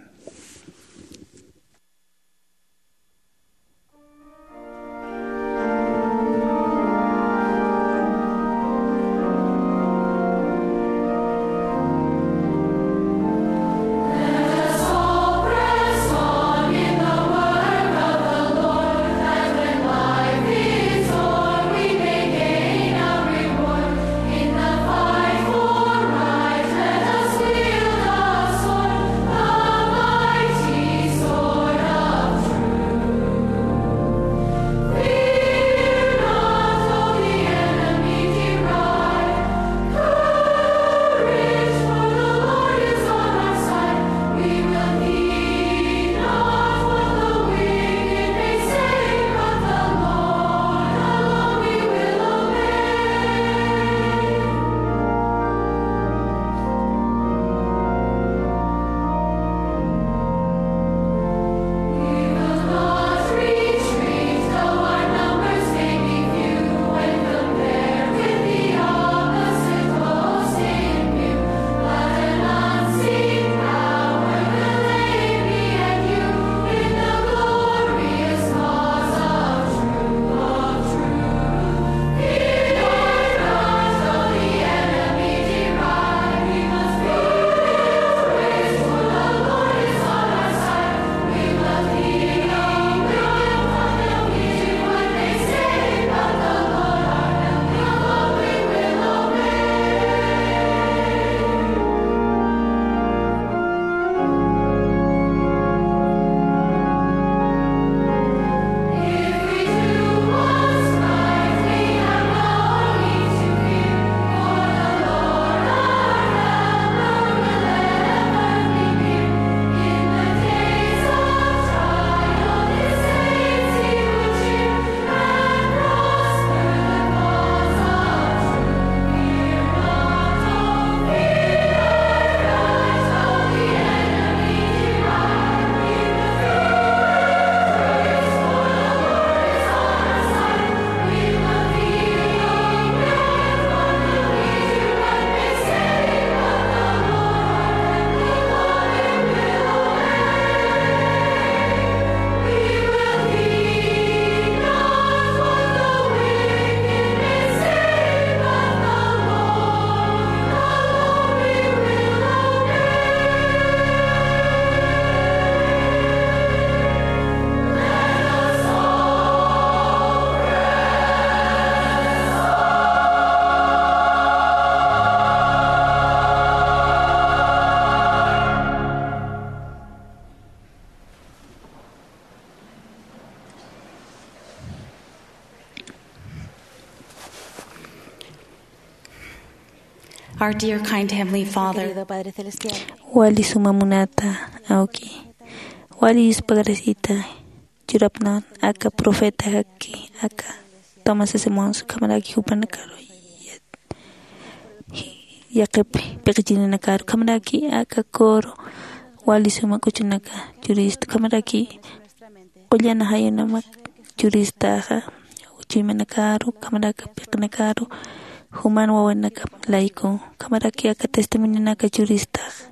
Our dear, kind Heavenly Father. Querido Padre Celestial. Wali suma munata awki, wali yuspagarasita churapnan aka profetaki aka Tomás Simons, ukhamaraki jupanakaru yaqip piqichininakaru, ukhamaraki aka coro wali suma k'uchunaka churista, ukhamaraki qullana jayunamak churistaxa, chuymanakaru, ukhamaraki piqinakaru, juman wawanakap layku, ukhamaraki aka testimonionaka churistaxa,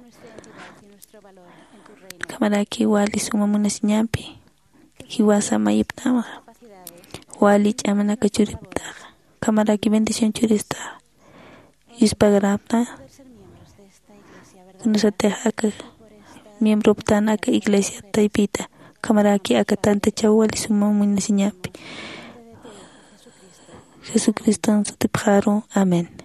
ukhamaraki wali suma munasiñampi jiwasa mayiptamaxa, wali ch'amanaka churiptaxa, ukhamaraki bendición churistaxa, yuspagarapna. Kunasatix aka miembroptan aka iglesia taypita, ukhamaraki aka tantachaw wali suma munasiñampi, Jesucriston sutipxaru. Amén.